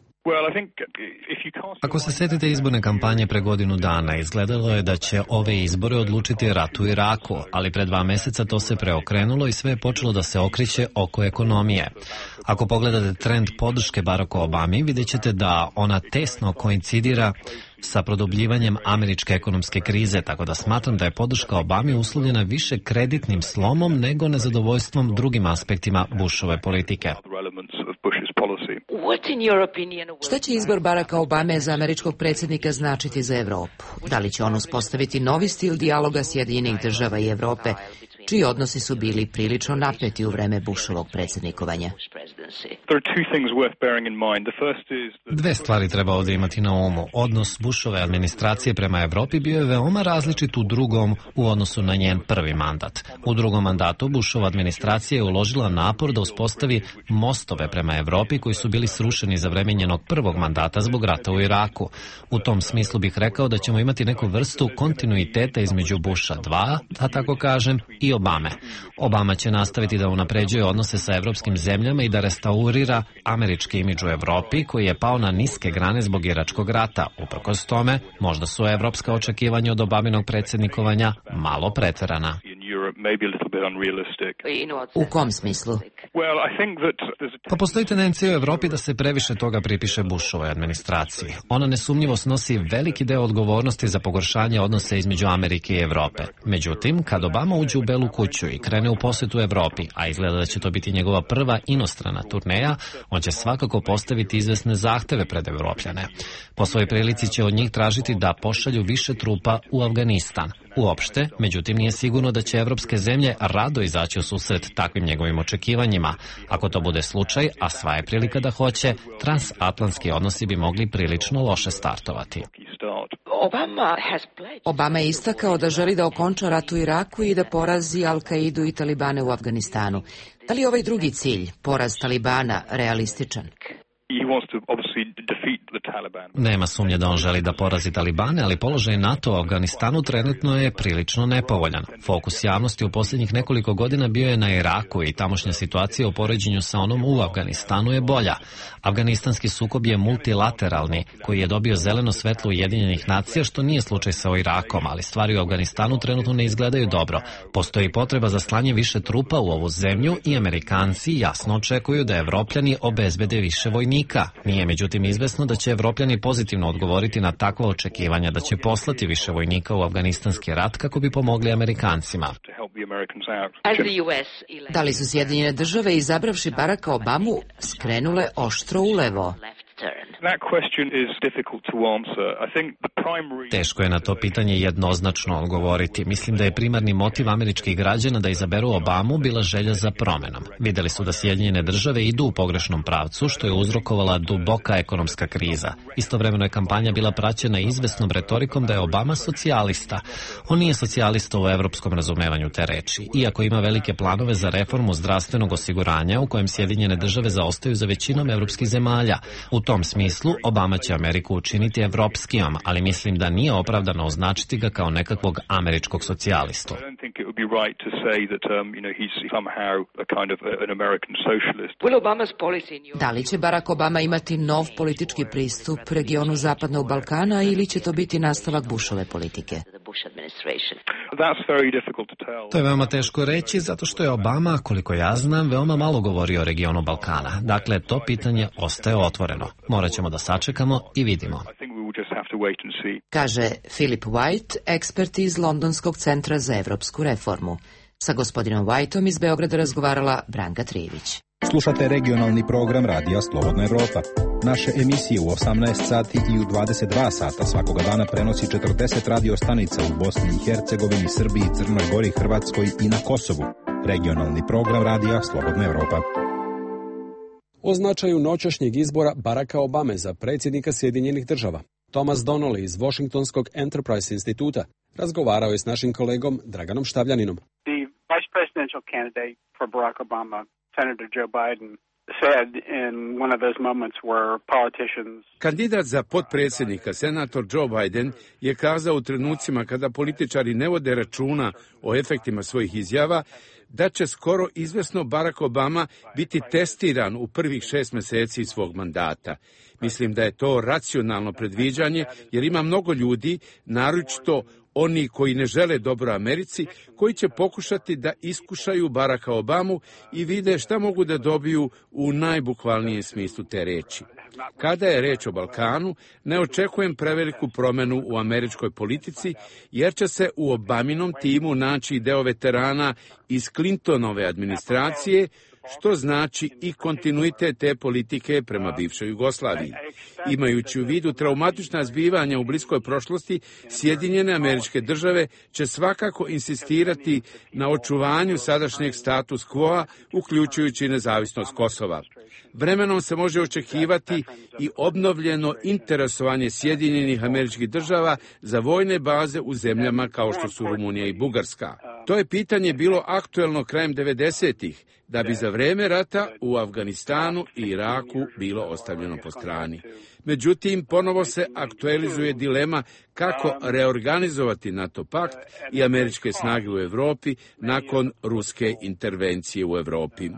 Ako se sjetite izborne kampanje pre godinu dana, izgledalo je da će ove izbore odlučiti rat u Iraku, ali pre dva mjeseca to se preokrenulo i sve je počelo da se okreće oko ekonomije. Ako pogledate trend podrške Baracku Obami, vidjet ćete da ona tesno koincidira sa produbljivanjem američke ekonomske krize, tako da smatram da je podrška Obami uslovljena više kreditnim slomom nego nezadovoljstvom drugim aspektima Bushove politike. Šta će izbor Baracka Obame za američkog predsjednika značiti za Evropu? Da li će on uspostaviti novi stil dijaloga Sjedinjenih država i Evrope, čiji odnosi su bili prilično napeti u vreme Bushovog predsjednikovanja? Dve stvari treba ovdje imati na umu. Odnos Bushove administracije prema Evropi bio je veoma različit u drugom u odnosu na njen prvi mandat. U drugom mandatu Bushova administracija je uložila napor da uspostavi mostove prema Evropi koji su bili srušeni za vreme njenog prvog mandata zbog rata u Iraku. U tom smislu bih rekao da ćemo imati neku vrstu kontinuiteta između Busha dva, da tako kažem, i Obame. Obama će nastaviti da unapređuje odnose sa evropskim zemljama i da restaurira američki imidž u Evropi koji je pao na niske grane zbog Iračkog rata. Uprkos tome, možda su evropska očekivanja od Obaminog predsjednikovanja malo preterana. U kom smislu? Pa postoji tendencija u Evropi da se previše toga pripiše Bushovoj administraciji. Ona nesumnjivo snosi veliki deo odgovornosti za pogoršanje odnose između Amerike i Evrope. Međutim, kad Obama uđe u Belu kuću i krene u posjetu Evropi, a izgleda da će to biti njegova prva inostrana turneja, on će svakako postaviti izvesne zahteve pred Evropljane. Po svojoj prilici će od njih tražiti da pošalju više trupa u Afganistan. uopšte, međutim nije sigurno da će evropske zemlje rado izaći u susret takvim njegovim očekivanjima. Ako to bude slučaj, a sva je prilika da hoće, transatlantski odnosi bi mogli prilično loše startovati. Obama je istakao da želi da okonča rat u Iraku i da porazi Al-Kaidu i Talibane u Afganistanu. Da li je ovaj drugi cilj, poraz Talibana, realističan? Nema sumnje da on želi da porazi Talibane, ali položaj NATO u Afganistanu trenutno je prilično nepovoljan. Fokus javnosti u posljednjih nekoliko godina bio je na Iraku i tamošnja situacija u poređenju sa onom u Afganistanu je bolja. Afganistanski sukob je multilateralni, koji je dobio zeleno svetlo Ujedinjenih nacija, što nije slučaj sa Irakom, ali stvari u Afganistanu trenutno ne izgledaju dobro. Postoji potreba za slanje više trupa u ovu zemlju i Amerikanci jasno očekuju da Evropljani obezbede više vojnika. Nije međutim izvesno da će Evropljani pozitivno odgovoriti na takva očekivanja da će poslati više vojnika u afganistanski rat kako bi pomogli Amerikancima. Da li su Sjedinjene države, izabravši Baracka Obamu, skrenule oštro ulevo? Teško je na to pitanje jednoznačno odgovoriti. Mislim da je primarni motiv američkih građana da izaberu Obamu bila želja za promenom. Videli su da Sjedinjene države idu u pogrešnom pravcu, što je uzrokovala duboka ekonomska kriza. Istovremeno je kampanja bila praćena izvesnom retorikom da je Obama socijalista. On nije socijalista u evropskom razumevanju te reči, iako ima velike planove za reformu zdravstvenog osiguranja u kojem Sjedinjene države zaostaju za većinom evropskih zemalja. U U tom smislu, Obama će Ameriku učiniti evropskijom, ali mislim da nije opravdano označiti ga kao nekakvog američkog socijalistu. Da li će Barack Obama imati nov politički pristup regionu Zapadnog Balkana ili će to biti nastavak Bushove politike? To je veoma teško reći, zato što je Obama, koliko ja znam, veoma malo govorio o regionu Balkana. Dakle, to pitanje ostaje otvoreno. Morat ćemo da sačekamo i vidimo. Kaže Philip White, ekspert iz Londonskog centra za evropsku reformu. Sa gospodinom Whiteom iz Beograda razgovarala Branka Trivić. Slušate regionalni program Radija Slobodna Evropa. Naše emisije u osamnaest sati i u dvadeset dva sata svakoga dana prenosi četrdeset radio stanica u Bosni i Hercegovini, Srbiji, Crnoj Gori, Hrvatskoj i na Kosovu. Regionalni program Radija Slobodna Evropa. O značaju noćašnjeg izbora Baracka Obame za predsjednika Sjedinjenih država, Thomas Donnelly iz Washingtonskog Enterprise instituta razgovarao je s našim kolegom Draganom Štavljaninom. The vice presidential candidate for Barack Obama, Senator Joe Biden, said in one of those moments where politicians... Kandidat za potpredsjednika, senator Joe Biden, je kazao u trenucima kada političari ne vode računa o efektima svojih izjava, da će skoro izvesno Barack Obama biti testiran u prvih šest meseci svog mandata. Mislim da je to racionalno predviđanje, jer ima mnogo ljudi, naročito oni koji ne žele dobro Americi, koji će pokušati da iskušaju Baracka Obamu i vide šta mogu da dobiju u najbukvalnijem smislu te reči. Kada je reč o Balkanu, ne očekujem preveliku promenu u američkoj politici, jer će se u Obaminom timu naći deo veterana iz Clintonove administracije, što znači i kontinuitet te politike prema bivšoj Jugoslaviji. Imajući u vidu traumatična zbivanja u bliskoj prošlosti, Sjedinjene Američke Države će svakako insistirati na očuvanju sadašnjeg status quo-a, uključujući nezavisnost Kosova. Vremenom se može očekivati i obnovljeno interesovanje Sjedinjenih Američkih Država za vojne baze u zemljama kao što su Rumunija i Bugarska. To je pitanje bilo aktuelno krajem devedesetih, da bi za vreme rata u Afganistanu i Iraku bilo ostavljeno po strani. Međutim, ponovo se aktualizuje dilema kako reorganizovati NATO pakt i američke snage u Evropi nakon ruske intervencije u Evropi.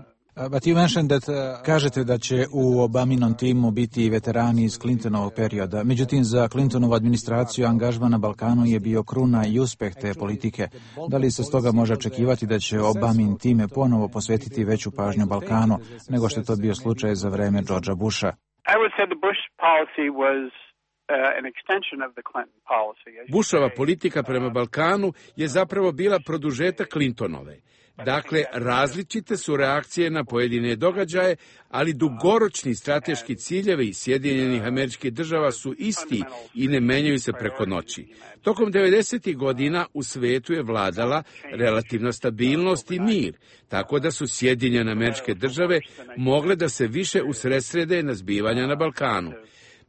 But you mentioned that, uh, kažete da će u Obaminom timu biti veterani iz Clintonovog perioda. Međutim, za Clintonovu administraciju angažman na Balkanu je bio kruna i uspeh te politike. Da li se stoga može očekivati da će Obamin time ponovo posvetiti veću pažnju Balkanu nego što je to bio slučaj za vreme Georgea Busha? I would say the Bush policy was uh, an extension of the Clinton policy. Bushova politika prema Balkanu je zapravo bila produžetak Clintonove. Dakle, različite su reakcije na pojedine događaje, ali dugoročni strateški ciljevi Sjedinjenih Američkih Država su isti i ne menjaju se preko noći. Tokom devedesetih godina u svetu je vladala relativna stabilnost i mir, tako da su Sjedinjene Američke Države mogle da se više usredsrede na zbivanja na Balkanu.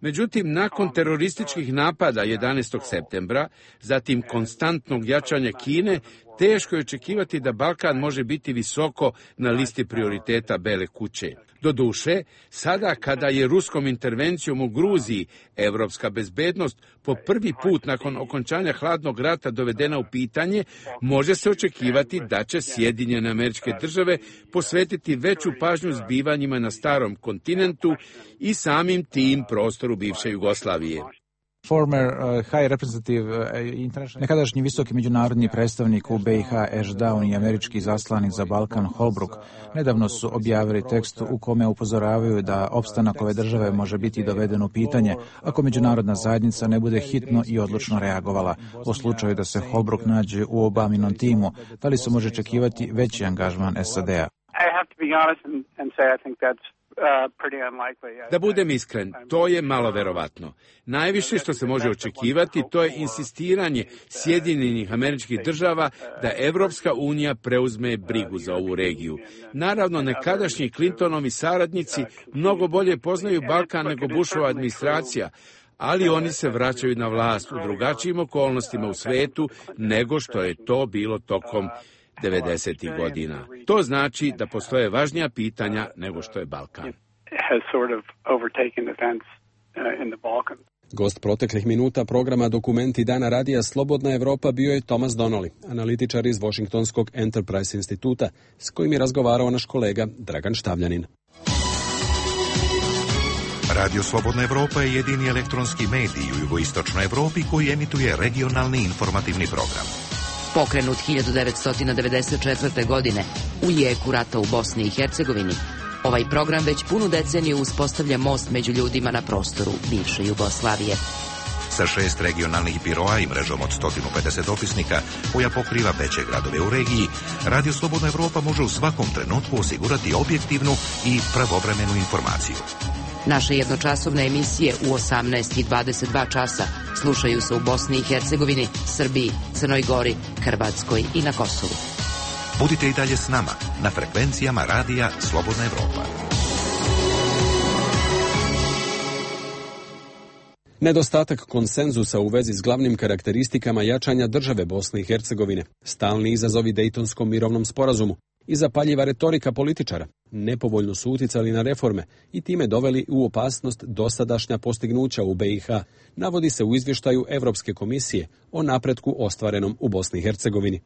Međutim, nakon terorističkih napada jedanaestog septembra, zatim konstantnog jačanja Kine, teško je očekivati da Balkan može biti visoko na listi prioriteta Bele kuće. Doduše, sada kada je ruskom intervencijom u Gruziji evropska bezbednost po prvi put nakon okončanja hladnog rata dovedena u pitanje, može se očekivati da će Sjedinjene Američke Države posvetiti veću pažnju zbivanjima na starom kontinentu i samim tim prostoru bivše Jugoslavije. Former uh, high representative uh, international, nekadašnji visoki međunarodni predstavnik u B i H Ashton Down i američki zaslanik za Balkan Holbrooke nedavno su objavili tekst u kome upozoravaju da opstanak ove države može biti doveden u pitanje ako međunarodna zajednica ne bude hitno i odlučno reagovala. U slučaju da se Holbrooke nađe u Obaminom timu, da li se može očekivati veći angažman S A D-a? Da budem iskren, to je malo verovatno. Najviše što se može očekivati to je insistiranje Sjedinjenih Američkih Država da Evropska unija preuzme brigu za ovu regiju. Naravno, nekadašnji Clintonovi saradnici mnogo bolje poznaju Balkan nego Bushova administracija, ali oni se vraćaju na vlast u drugačijim okolnostima u svetu nego što je to bilo tokom devedesetih godina. To znači da postoje važnija pitanja nego što je Balkan. Gost proteklih minuta programa Dokumenti dana radija Slobodna Evropa bio je Thomas Donnelly, analitičar iz Washingtonskog Enterprise instituta, s kojim je razgovarao naš kolega Dragan Štavljanin. Radio Slobodna Evropa je jedini elektronski medij u jugoistočnoj Evropi koji emituje regionalni informativni program. Pokrenut hiljadu devetsto devedeset četvrte. godine u jeku rata u Bosni i Hercegovini, ovaj program već punu deceniju uspostavlja most među ljudima na prostoru bivše Jugoslavije. Sa šest regionalnih biroa i mrežom od sto pedeset dopisnika koja pokriva veće gradove u regiji, Radio Slobodna Evropa može u svakom trenutku osigurati objektivnu i pravovremenu informaciju. Naše jednočasovne emisije u osamnaest i dvadeset dva časa slušaju se u Bosni i Hercegovini, Srbiji, Crnoj Gori, Hrvatskoj i na Kosovu. Budite i dalje s nama na frekvencijama Radija Slobodna Evropa. Nedostatak konsenzusa u vezi s glavnim karakteristikama jačanja države Bosne i Hercegovine, stalni izazovi Dejtonskom mirovnom sporazumu i zapaljiva retorika političara nepovoljno su uticali na reforme i time doveli u opasnost dosadašnja postignuća u B i H, navodi se u izvještaju Evropske komisije o napretku ostvarenom u Bosni i Hercegovini.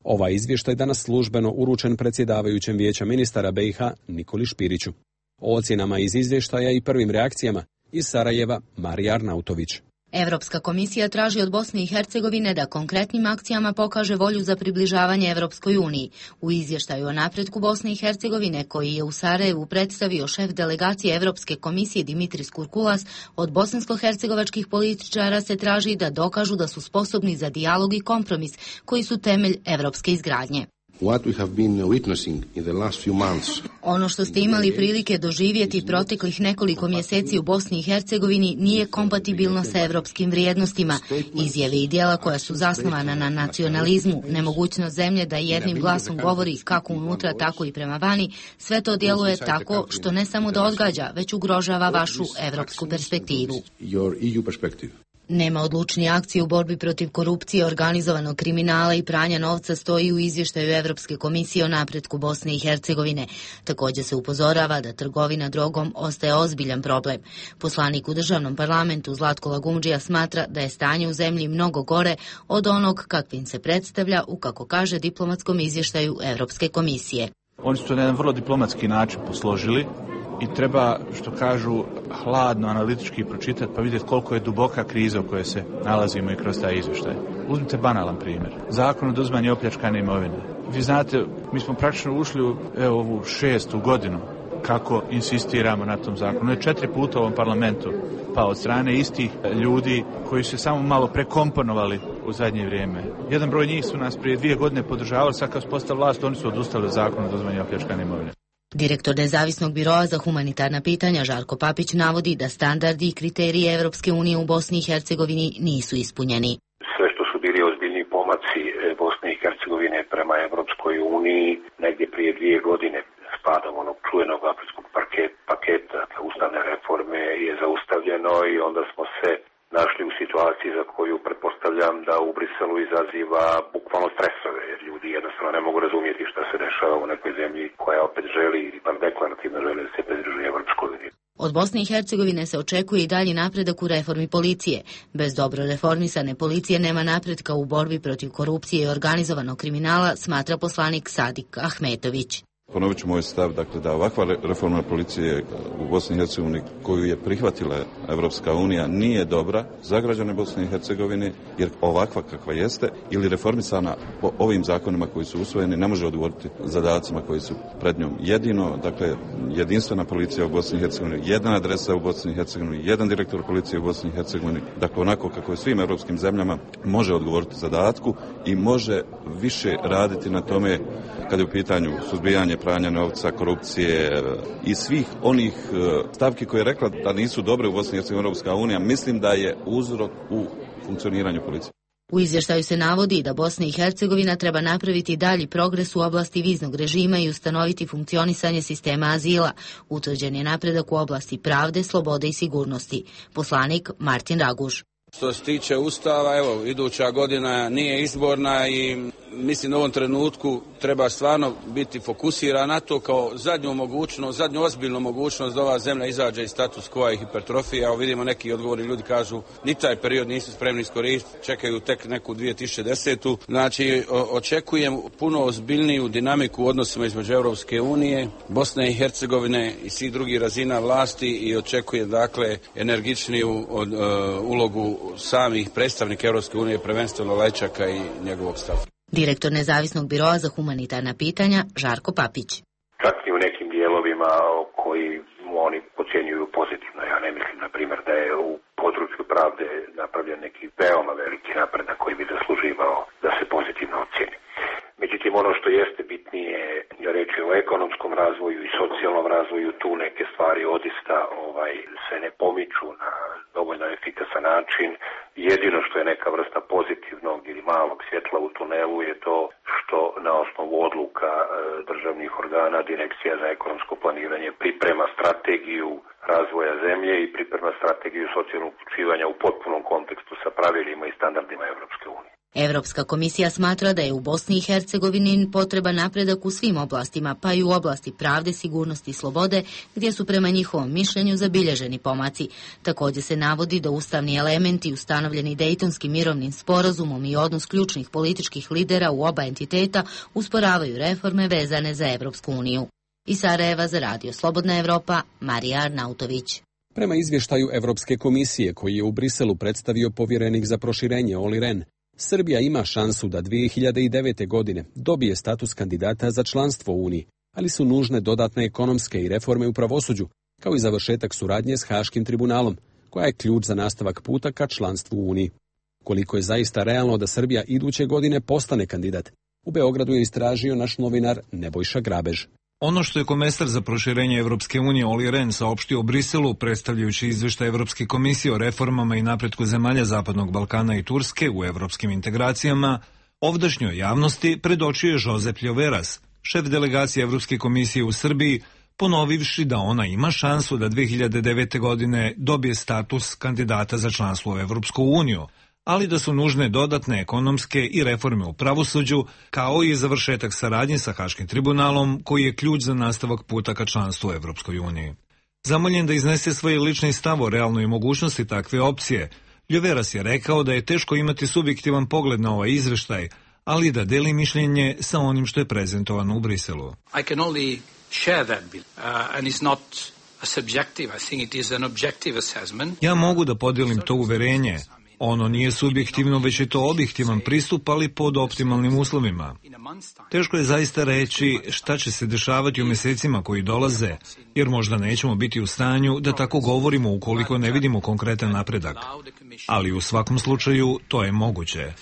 Ovaj izvještaj danas službeno uručen predsjedavajućem vijeća ministara B i H Nikoli Špiriću. O ocjenama iz izvještaja i prvim reakcijama iz Sarajeva Marija Arnautović. Evropska komisija traži od Bosne i Hercegovine da konkretnim akcijama pokaže volju za približavanje Evropskoj uniji. U izvještaju o napretku Bosne i Hercegovine, koji je u Sarajevu predstavio šef delegacije Evropske komisije Dimitris Kurkulas, od bosansko-hercegovačkih političara se traži da dokažu da su sposobni za dijalog i kompromis, koji su temelj evropske izgradnje. What we have been witnessing in the last few months. Ono što ste imali prilike doživjeti proteklih nekoliko mjeseci u Bosni i Hercegovini nije kompatibilno sa evropskim vrijednostima. Izjave i djela koja su zasnovana na nacionalizmu, nemogućnost zemlje da jednim glasom govori kako unutra, tako i prema vani, sve to djeluje tako što ne samo da odgađa, već ugrožava vašu evropsku perspektivu. Your E U perspective. Nema odlučnije akcije u borbi protiv korupcije, organizovanog kriminala i pranja novca, stoji u izvještaju Evropske komisije o napretku Bosne i Hercegovine. Također se upozorava da trgovina drogom ostaje ozbiljan problem. Poslanik u državnom parlamentu Zlatko Lagumdžija smatra da je stanje u zemlji mnogo gore od onog kakvim se predstavlja u, kako kaže, diplomatskom izvještaju Evropske komisije. Oni su to na jedan vrlo diplomatski način posložili i treba, što kažu, hladno analitički pročitati pa vidjeti koliko je duboka kriza u kojoj se nalazimo i kroz taj izvještaj. Uzmite banalan primjer. Zakon o oduzimanju opljačkane imovine. Vi znate, mi smo praktično ušli u evo, ovu šestu godinu kako insistiramo na tom zakonu. Je četiri puta u ovom parlamentu, pa od strane istih ljudi koji su samo malo prekomponovali u zadnje vrijeme. Jedan broj njih su nas prije dvije godine podržavali, sad kad su postali vlast, oni su odustali od zakona o oduzimanju opljačkane imovine. Direktor Nezavisnog biroa za humanitarna pitanja Žarko Papić navodi da standardi i kriteriji Evropske unije u Bosni i Hercegovini nisu ispunjeni. Sve što su bili ozbiljni pomaci Bosne i Hercegovine prema Evropskoj uniji negdje prije dvije godine spadom onog čuvenog aprilskog paketa ustavne reforme je zaustavljeno i onda smo se našli u situaciji za koju pretpostavljam da u Briselu izaziva bukvalno stresove, jer ljudi jednostavno ne mogu razumjeti šta se dešava u nekoj zemlji koja opet želi, ili bar deklarativno želi da se pridružuje Evropskoj uniji. Od Bosne i Hercegovine se očekuje i dalji napredak u reformi policije. Bez dobro reformisane policije nema napretka u borbi protiv korupcije i organizovanog kriminala, smatra poslanik Sadik Ahmetović. Ponovit ću moj stav, dakle, da ovakva reforma policije u Bosni i Hercegovini koju je prihvatila Evropska unija nije dobra za građane Bosne i Hercegovine, jer ovakva kakva jeste ili reformisana po ovim zakonima koji su usvojeni ne može odgovoriti zadacima koji su pred njom. Jedino, dakle, jedinstvena policija u Bosni i Hercegovini, jedna adresa u Bosni i Hercegovini, jedan direktor policije u Bosni i Hercegovini, dakle, onako kako je svim europskim zemljama, može odgovoriti zadatku i može više raditi na tome kada je u pitanju suzbijanje pranja novca, korupcije i svih onih stavki koje je rekla da nisu dobre u Bosni i Hercegovini Europska unija, mislim da je uzrok u funkcioniranju policije. U izvještaju se navodi da Bosna i Hercegovina treba napraviti dalji progres u oblasti viznog režima i ustanoviti funkcionisanje sistema azila. Utvrđen je napredak u oblasti pravde, slobode i sigurnosti. Poslanik Martin Raguž. Što se tiče Ustava, evo, iduća godina nije izborna i mislim da u ovom trenutku treba stvarno biti fokusiran na to kao zadnju mogućnost, zadnju ozbiljnu mogućnost da ova zemlja izađe iz status quo i hipertrofije. Evo vidimo neki odgovorni ljudi kažu ni taj period nisu spremni iskoristiti, čekaju tek neku dvije tisuće desete. Znači očekujem puno ozbiljniju dinamiku u odnosima između Europske unije, Bosne i Hercegovine i svih drugih razina vlasti i očekujem dakle energičniju od, uh, ulogu samih predstavnika Europske unije, prvenstveno Lečaka i njegovog stava. Direktor Nezavisnog biroa za humanitarna pitanja Žarko Papić. Čak i u nekim dijelovima koji oni ocjenjuju pozitivno. Ja ne mislim, na primjer, da je u području pravde napravljen neki veoma veliki napredak koji bi zasluživao da se pozitivno ocjeni. Međutim, ono što jeste bitnije je reći o ekonomskom razvoju i socijalnom razvoju, tu neke stvari odista ovaj, se ne pomiču na dovoljno efikasan način. Jedino što je neka vrsta pozitivnog ili malog svjetla u tunelu je to što na osnovu odluka e, državnih organa Direkcija za ekonomsko planiranje priprema strategiju razvoja zemlje i priprema strategiju socijalnog uključivanja u potpunom kontekstu sa pravilima i standardima Evropske unije. Evropska komisija smatra da je u Bosni i Hercegovini potreban napredak u svim oblastima, pa i u oblasti pravde, sigurnosti i slobode, gdje su prema njihovom mišljenju zabilježeni pomaci. Također se navodi da ustavni elementi ustanovljeni Dejtonskim mirovnim sporazumom i odnos ključnih političkih lidera u oba entiteta usporavaju reforme vezane za Evropsku uniju. Iz Sarajeva za Radio Slobodna Evropa, Marija Arnautović. Prema izvještaju Evropske komisije koji je u Briselu predstavio povjerenik za proširenje Olli Rehn, Srbija ima šansu da dvije hiljade devete. godine dobije status kandidata za članstvo u Uniji, ali su nužne dodatne ekonomske i reforme u pravosuđu, kao i završetak suradnje s Haškim tribunalom, koja je ključ za nastavak puta ka članstvu u Uniji. Koliko je zaista realno da Srbija iduće godine postane kandidat, u Beogradu je istražio naš novinar Nebojša Grabež. Ono što je komesar za proširenje Evropske unije Olli Rehn saopštio u Briselu, predstavljajući izveštaj Evropske komisije o reformama i napretku zemalja Zapadnog Balkana i Turske u evropskim integracijama, ovdašnjoj javnosti predočio je Josep Ljoveras, šef delegacije Evropske komisije u Srbiji, ponovivši da ona ima šansu da dvije hiljade devete. godine dobije status kandidata za članstvo u Evropsku uniju, ali da su nužne dodatne ekonomske i reforme u pravosuđu, kao i završetak saradnje sa Haškim tribunalom, koji je ključ za nastavak puta ka članstvu u Evropskoj uniji. Zamoljen da iznese svoj lični stav o realnoj mogućnosti takve opcije, Ljoveras je rekao da je teško imati subjektivan pogled na ovaj izveštaj, ali da deli mišljenje sa onim što je prezentovano u Briselu. I can only share that belief, uh, and it's not a subjective, I think it is an objective assessment. Ja mogu da podijelim to uverenje, Ono nije subjektivno, već je to objektivan pristup, ali pod optimalnim uslovima. Teško je zaista reći šta će se dešavati u mjesecima koji dolaze, jer možda nećemo biti u stanju da tako govorimo ukoliko ne vidimo konkretan napredak. Ali u svakom slučaju to je moguće.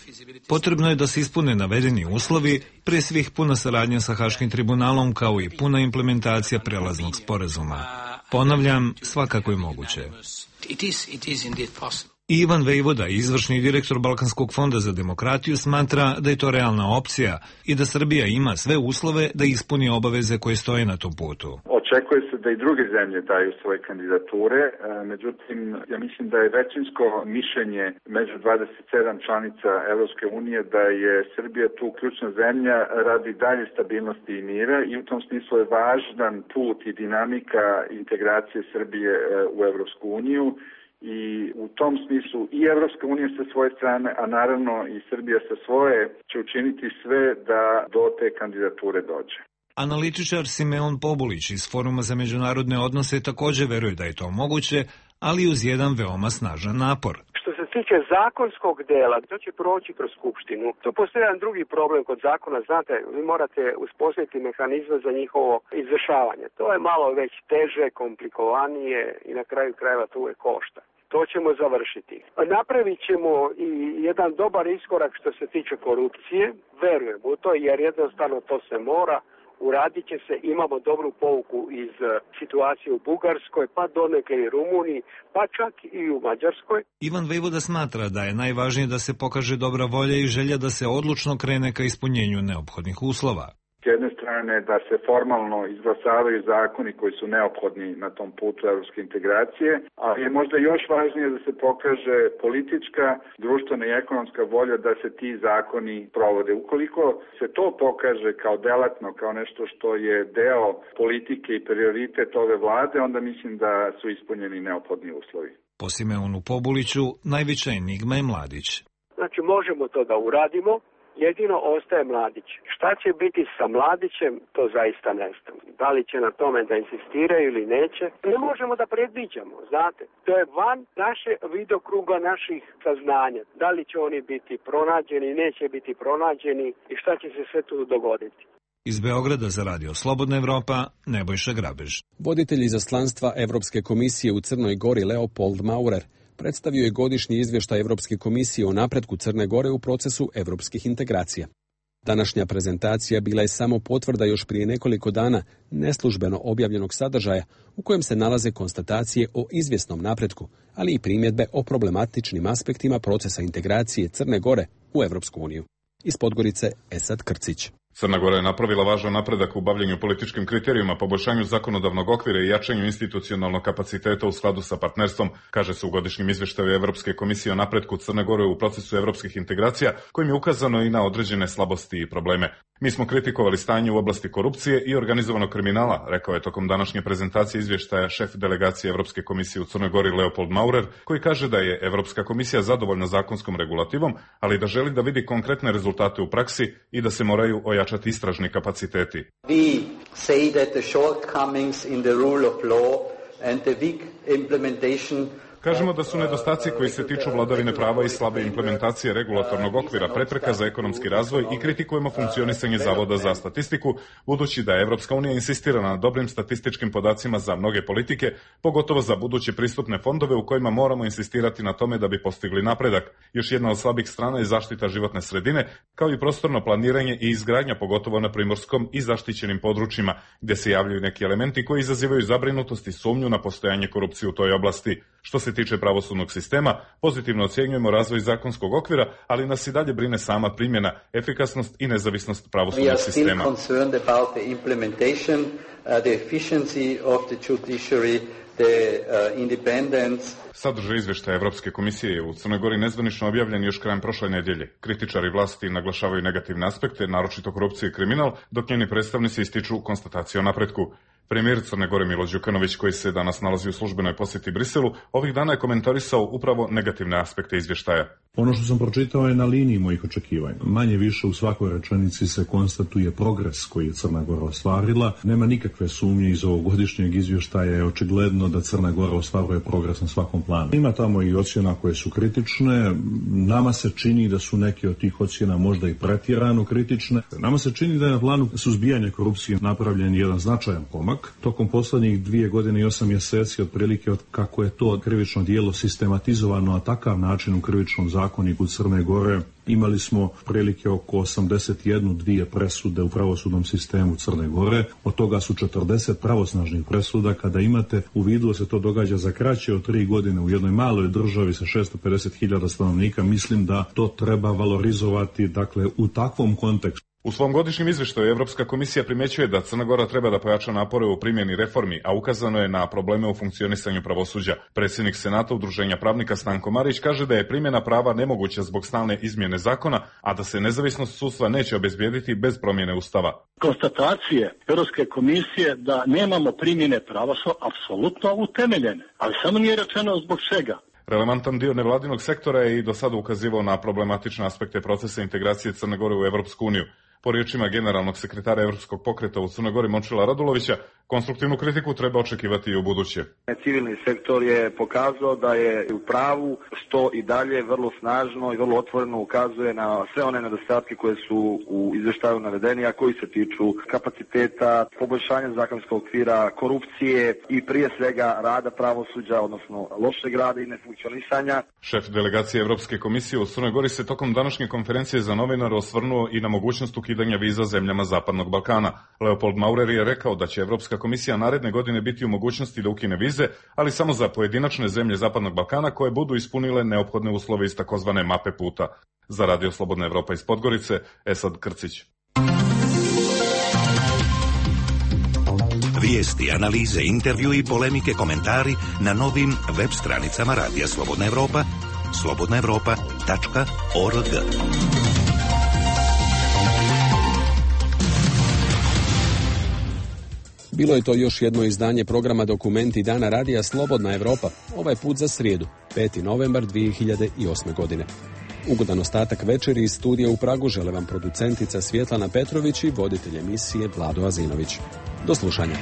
Potrebno je da se ispune navedeni uslovi, prije svih puna saradnja sa Haškim tribunalom kao i puna implementacija prelaznog sporazuma. Ponavljam, svakako je moguće. Ivan Vejvoda, izvršni direktor Balkanskog fonda za demokratiju, smatra da je to realna opcija i da Srbija ima sve uslove da ispuni obaveze koje stoje na tom putu. Očekuje se da i druge zemlje daju svoje kandidature, međutim, ja mislim da je većinsko mišljenje među dvadeset sedam članica Evropske unije da je Srbija tu ključna zemlja radi dalje stabilnosti i mira i u tom smislu je važan put i dinamika integracije Srbije u Evropsku uniju. I u tom smislu i Evropska unija sa svoje strane, a naravno i Srbija sa svoje, će učiniti sve da do te kandidature dođe. Analitičar Simeon Pobulić iz Foruma za međunarodne odnose također veruje da je to moguće, ali uz jedan veoma snažan napor. Što se tiče zakonskog dela, to će proći kroz Skupštinu. Tu postoji jedan drugi problem kod zakona, znate, vi morate uspostaviti mehanizme za njihovo izvršavanje. To je malo već teže, komplikovanije i na kraju krajeva to uvijek košta. To ćemo završiti. Napravit ćemo i jedan dobar iskorak što se tiče korupcije, verujem u to jer jednostavno to se mora. Uradit će se, imamo dobru pouku iz situacije u Bugarskoj, pa donekle i Rumuniji, pa čak i u Mađarskoj. Ivan Vejvoda smatra da je najvažnije da se pokaže dobra volja i želja da se odlučno krene ka ispunjenju neophodnih uslova. S jedne strane da se formalno izglasavaju zakoni koji su neophodni na tom putu evropske integracije, ali je možda još važnije da se pokaže politička, društvena i ekonomska volja da se ti zakoni provode. Ukoliko se to pokaže kao delatno, kao nešto što je deo politike i prioritet ove vlade, onda mislim da su ispunjeni neophodni uslovi. Po Simeonu Pobuliću, najveća enigma je Mladić. Znači možemo to da uradimo, jedino ostaje Mladić. Šta će biti sa Mladićem, to zaista ne znam. Da li će na tome da insistiraju ili neće, ne možemo da predviđamo, znate. To je van naše vidokruga naših saznanja. Da li će oni biti pronađeni, neće biti pronađeni i šta će se sve tu dogoditi. Iz Beograda za Radio Slobodna Evropa, Nebojša Grabež. Voditelj izaslanstva Evropske komisije u Crnoj Gori Leopold Maurer predstavio je godišnji izvještaj Evropske komisije o napretku Crne Gore u procesu evropskih integracija. Današnja prezentacija bila je samo potvrda još prije nekoliko dana neslužbeno objavljenog sadržaja u kojem se nalaze konstatacije o izvjesnom napretku, ali i primjedbe o problematičnim aspektima procesa integracije Crne Gore u Evropsku uniju. Iz Podgorice Esad Krcić. Crna Gora je napravila važan napredak u bavljenju političkim kriterijima, poboljšanju zakonodavnog okvira i jačanju institucionalnog kapaciteta u skladu sa partnerstvom, kaže se u godišnjem izvještaju Evropske komisije o napretku Crne Gore u procesu evropskih integracija, kojim je ukazano i na određene slabosti i probleme. Mi smo kritikovali stanje u oblasti korupcije i organizovanog kriminala, rekao je tokom današnje prezentacije izvještaja šef delegacije Evropske komisije u Crnoj Gori Leopold Maurer, koji kaže da je Evropska komisija zadovoljna zakonskom regulativom, ali da želi da vidi konkretne rezultate u praksi i da se moraju ojačati istražni kapaciteti. We say that the shortcomings in the rule of law and the weak implementation Kažemo da su nedostaci koji se tiču vladavine prava i slabe implementacije regulatornog okvira prepreka za ekonomski razvoj i kritikujemo funkcionisanje Zavoda za statistiku, budući da Evropska unija insistira na dobrim statističkim podacima za mnoge politike, pogotovo za buduće pristupne fondove u kojima moramo insistirati na tome da bi postigli napredak. Još jedna od slabih strana je zaštita životne sredine, kao i prostorno planiranje i izgradnja, pogotovo na primorskom i zaštićenim područjima, gdje se javljaju neki elementi koji izazivaju zabrinutost i sumnju na postojanje korupcije u toj oblasti. Što se tiče pravosudnog sistema, pozitivno ocjenjujemo razvoj zakonskog okvira, ali nas i dalje brine sama primjena, efikasnost i nezavisnost pravosudnog sistema. Sadržaj izvještaja Evropske komisije je u Crnoj Gori nezvanično objavljen još krajem prošle nedjelje. Kritičari vlasti naglašavaju negativne aspekte, naročito korupcije i kriminal, dok njeni predstavnici ističu konstatacije o napretku. Premijer Crne Gore Milo Đukanović, koji se danas nalazi u službenoj posjeti Briselu, ovih dana je komentarisao upravo negativne aspekte izvještaja. Ono što sam pročitao je na liniji mojih očekivanja. Manje više u svakoj rečenici se konstatuje progres koji je Crna Gora ostvarila. Nema nikakve sumnje iz ovog godišnjeg izvještaja, je očigledno da Crna Gora ostvaruje progres na svakom planu. Ima tamo i ocjena koje su kritične. Nama se čini da su neke od tih ocjena možda i pretjerano kritične. Nama se čini da je na planu suzbijanja korupcije napravljen jedan značajan pomak. Tokom poslednjih dvije godine i osam mjeseci, otprilike od kako je to krivično djelo sistematizovano na takav način u krivičnom zakoniku Crne Gore, imali smo prilike oko osamdeset jednu dvije presude u pravosudnom sistemu Crne Gore, od toga su četrdeset pravosnažnih presuda. Kada imate u vidu da se to događa za kraće od tri godine u jednoj maloj državi sa šesto pedeset hiljada stanovnika, mislim da to treba valorizovati, dakle, u takvom kontekstu. U svom godišnjem izvještaju Evropska komisija primjećuje da Crna Gora treba da pojača napore u primjeni reformi, a ukazano je na probleme u funkcionisanju pravosuđa. Predsjednik Senata Udruženja pravnika Stanko Marić kaže da je primjena prava nemoguća zbog stalne izmjene zakona, a da se nezavisnost sudstva neće obezbijediti bez promjene ustava. Konstatacije Europske komisije da nemamo primjene prava su apsolutno utemeljene, ali samo nije rečeno zbog čega. Relevantan dio nevladinog sektora je i do sada ukazivao na problematične aspekte procesa integracije Crne Gore u Evropsku uniju. Po riječima generalnog sekretara Evropskog pokreta u Crnoj Gori Momčila Radulovića, konstruktivnu kritiku treba očekivati i u buduće. Civilni sektor je pokazao da je u pravu, što i dalje vrlo snažno i vrlo otvoreno ukazuje na sve one nedostatke koje su u izvještaju navedeni, a koji se tiču kapaciteta, poboljšanja zakonskog okvira, korupcije i prije svega rada pravosuđa, odnosno lošeg rada i nefunkcionisanja. Šef delegacije Evropske komisije u Crnoj Gori se tokom današnje konferencije za novinare osvrnuo i na mogućnost ukidanja viza zemljama Zapadnog Balkana. Leopold Maurer je rekao da će Evropska komisija naredne godine biti u mogućnosti da ukine vize, ali samo za pojedinačne zemlje Zapadnog Balkana koje budu ispunile neophodne uslove iz takozvane mape puta. Za Radio Slobodna Evropa iz Podgorice, Esad Krcić. Vijesti, analize, intervju i polemike, komentari na novim web stranicama Radija Slobodna Evropa, slobodna evropa tačka org. Bilo je to još jedno izdanje programa Dokumenti dana Radija Slobodna Evropa, ovaj put za srijedu, peti novembar dvije hiljade osme. godine. Ugodan ostatak večeri iz studija u Pragu žele vam producentica Svjetlana Petrović i voditelj emisije Vlado Azinović. Do slušanja.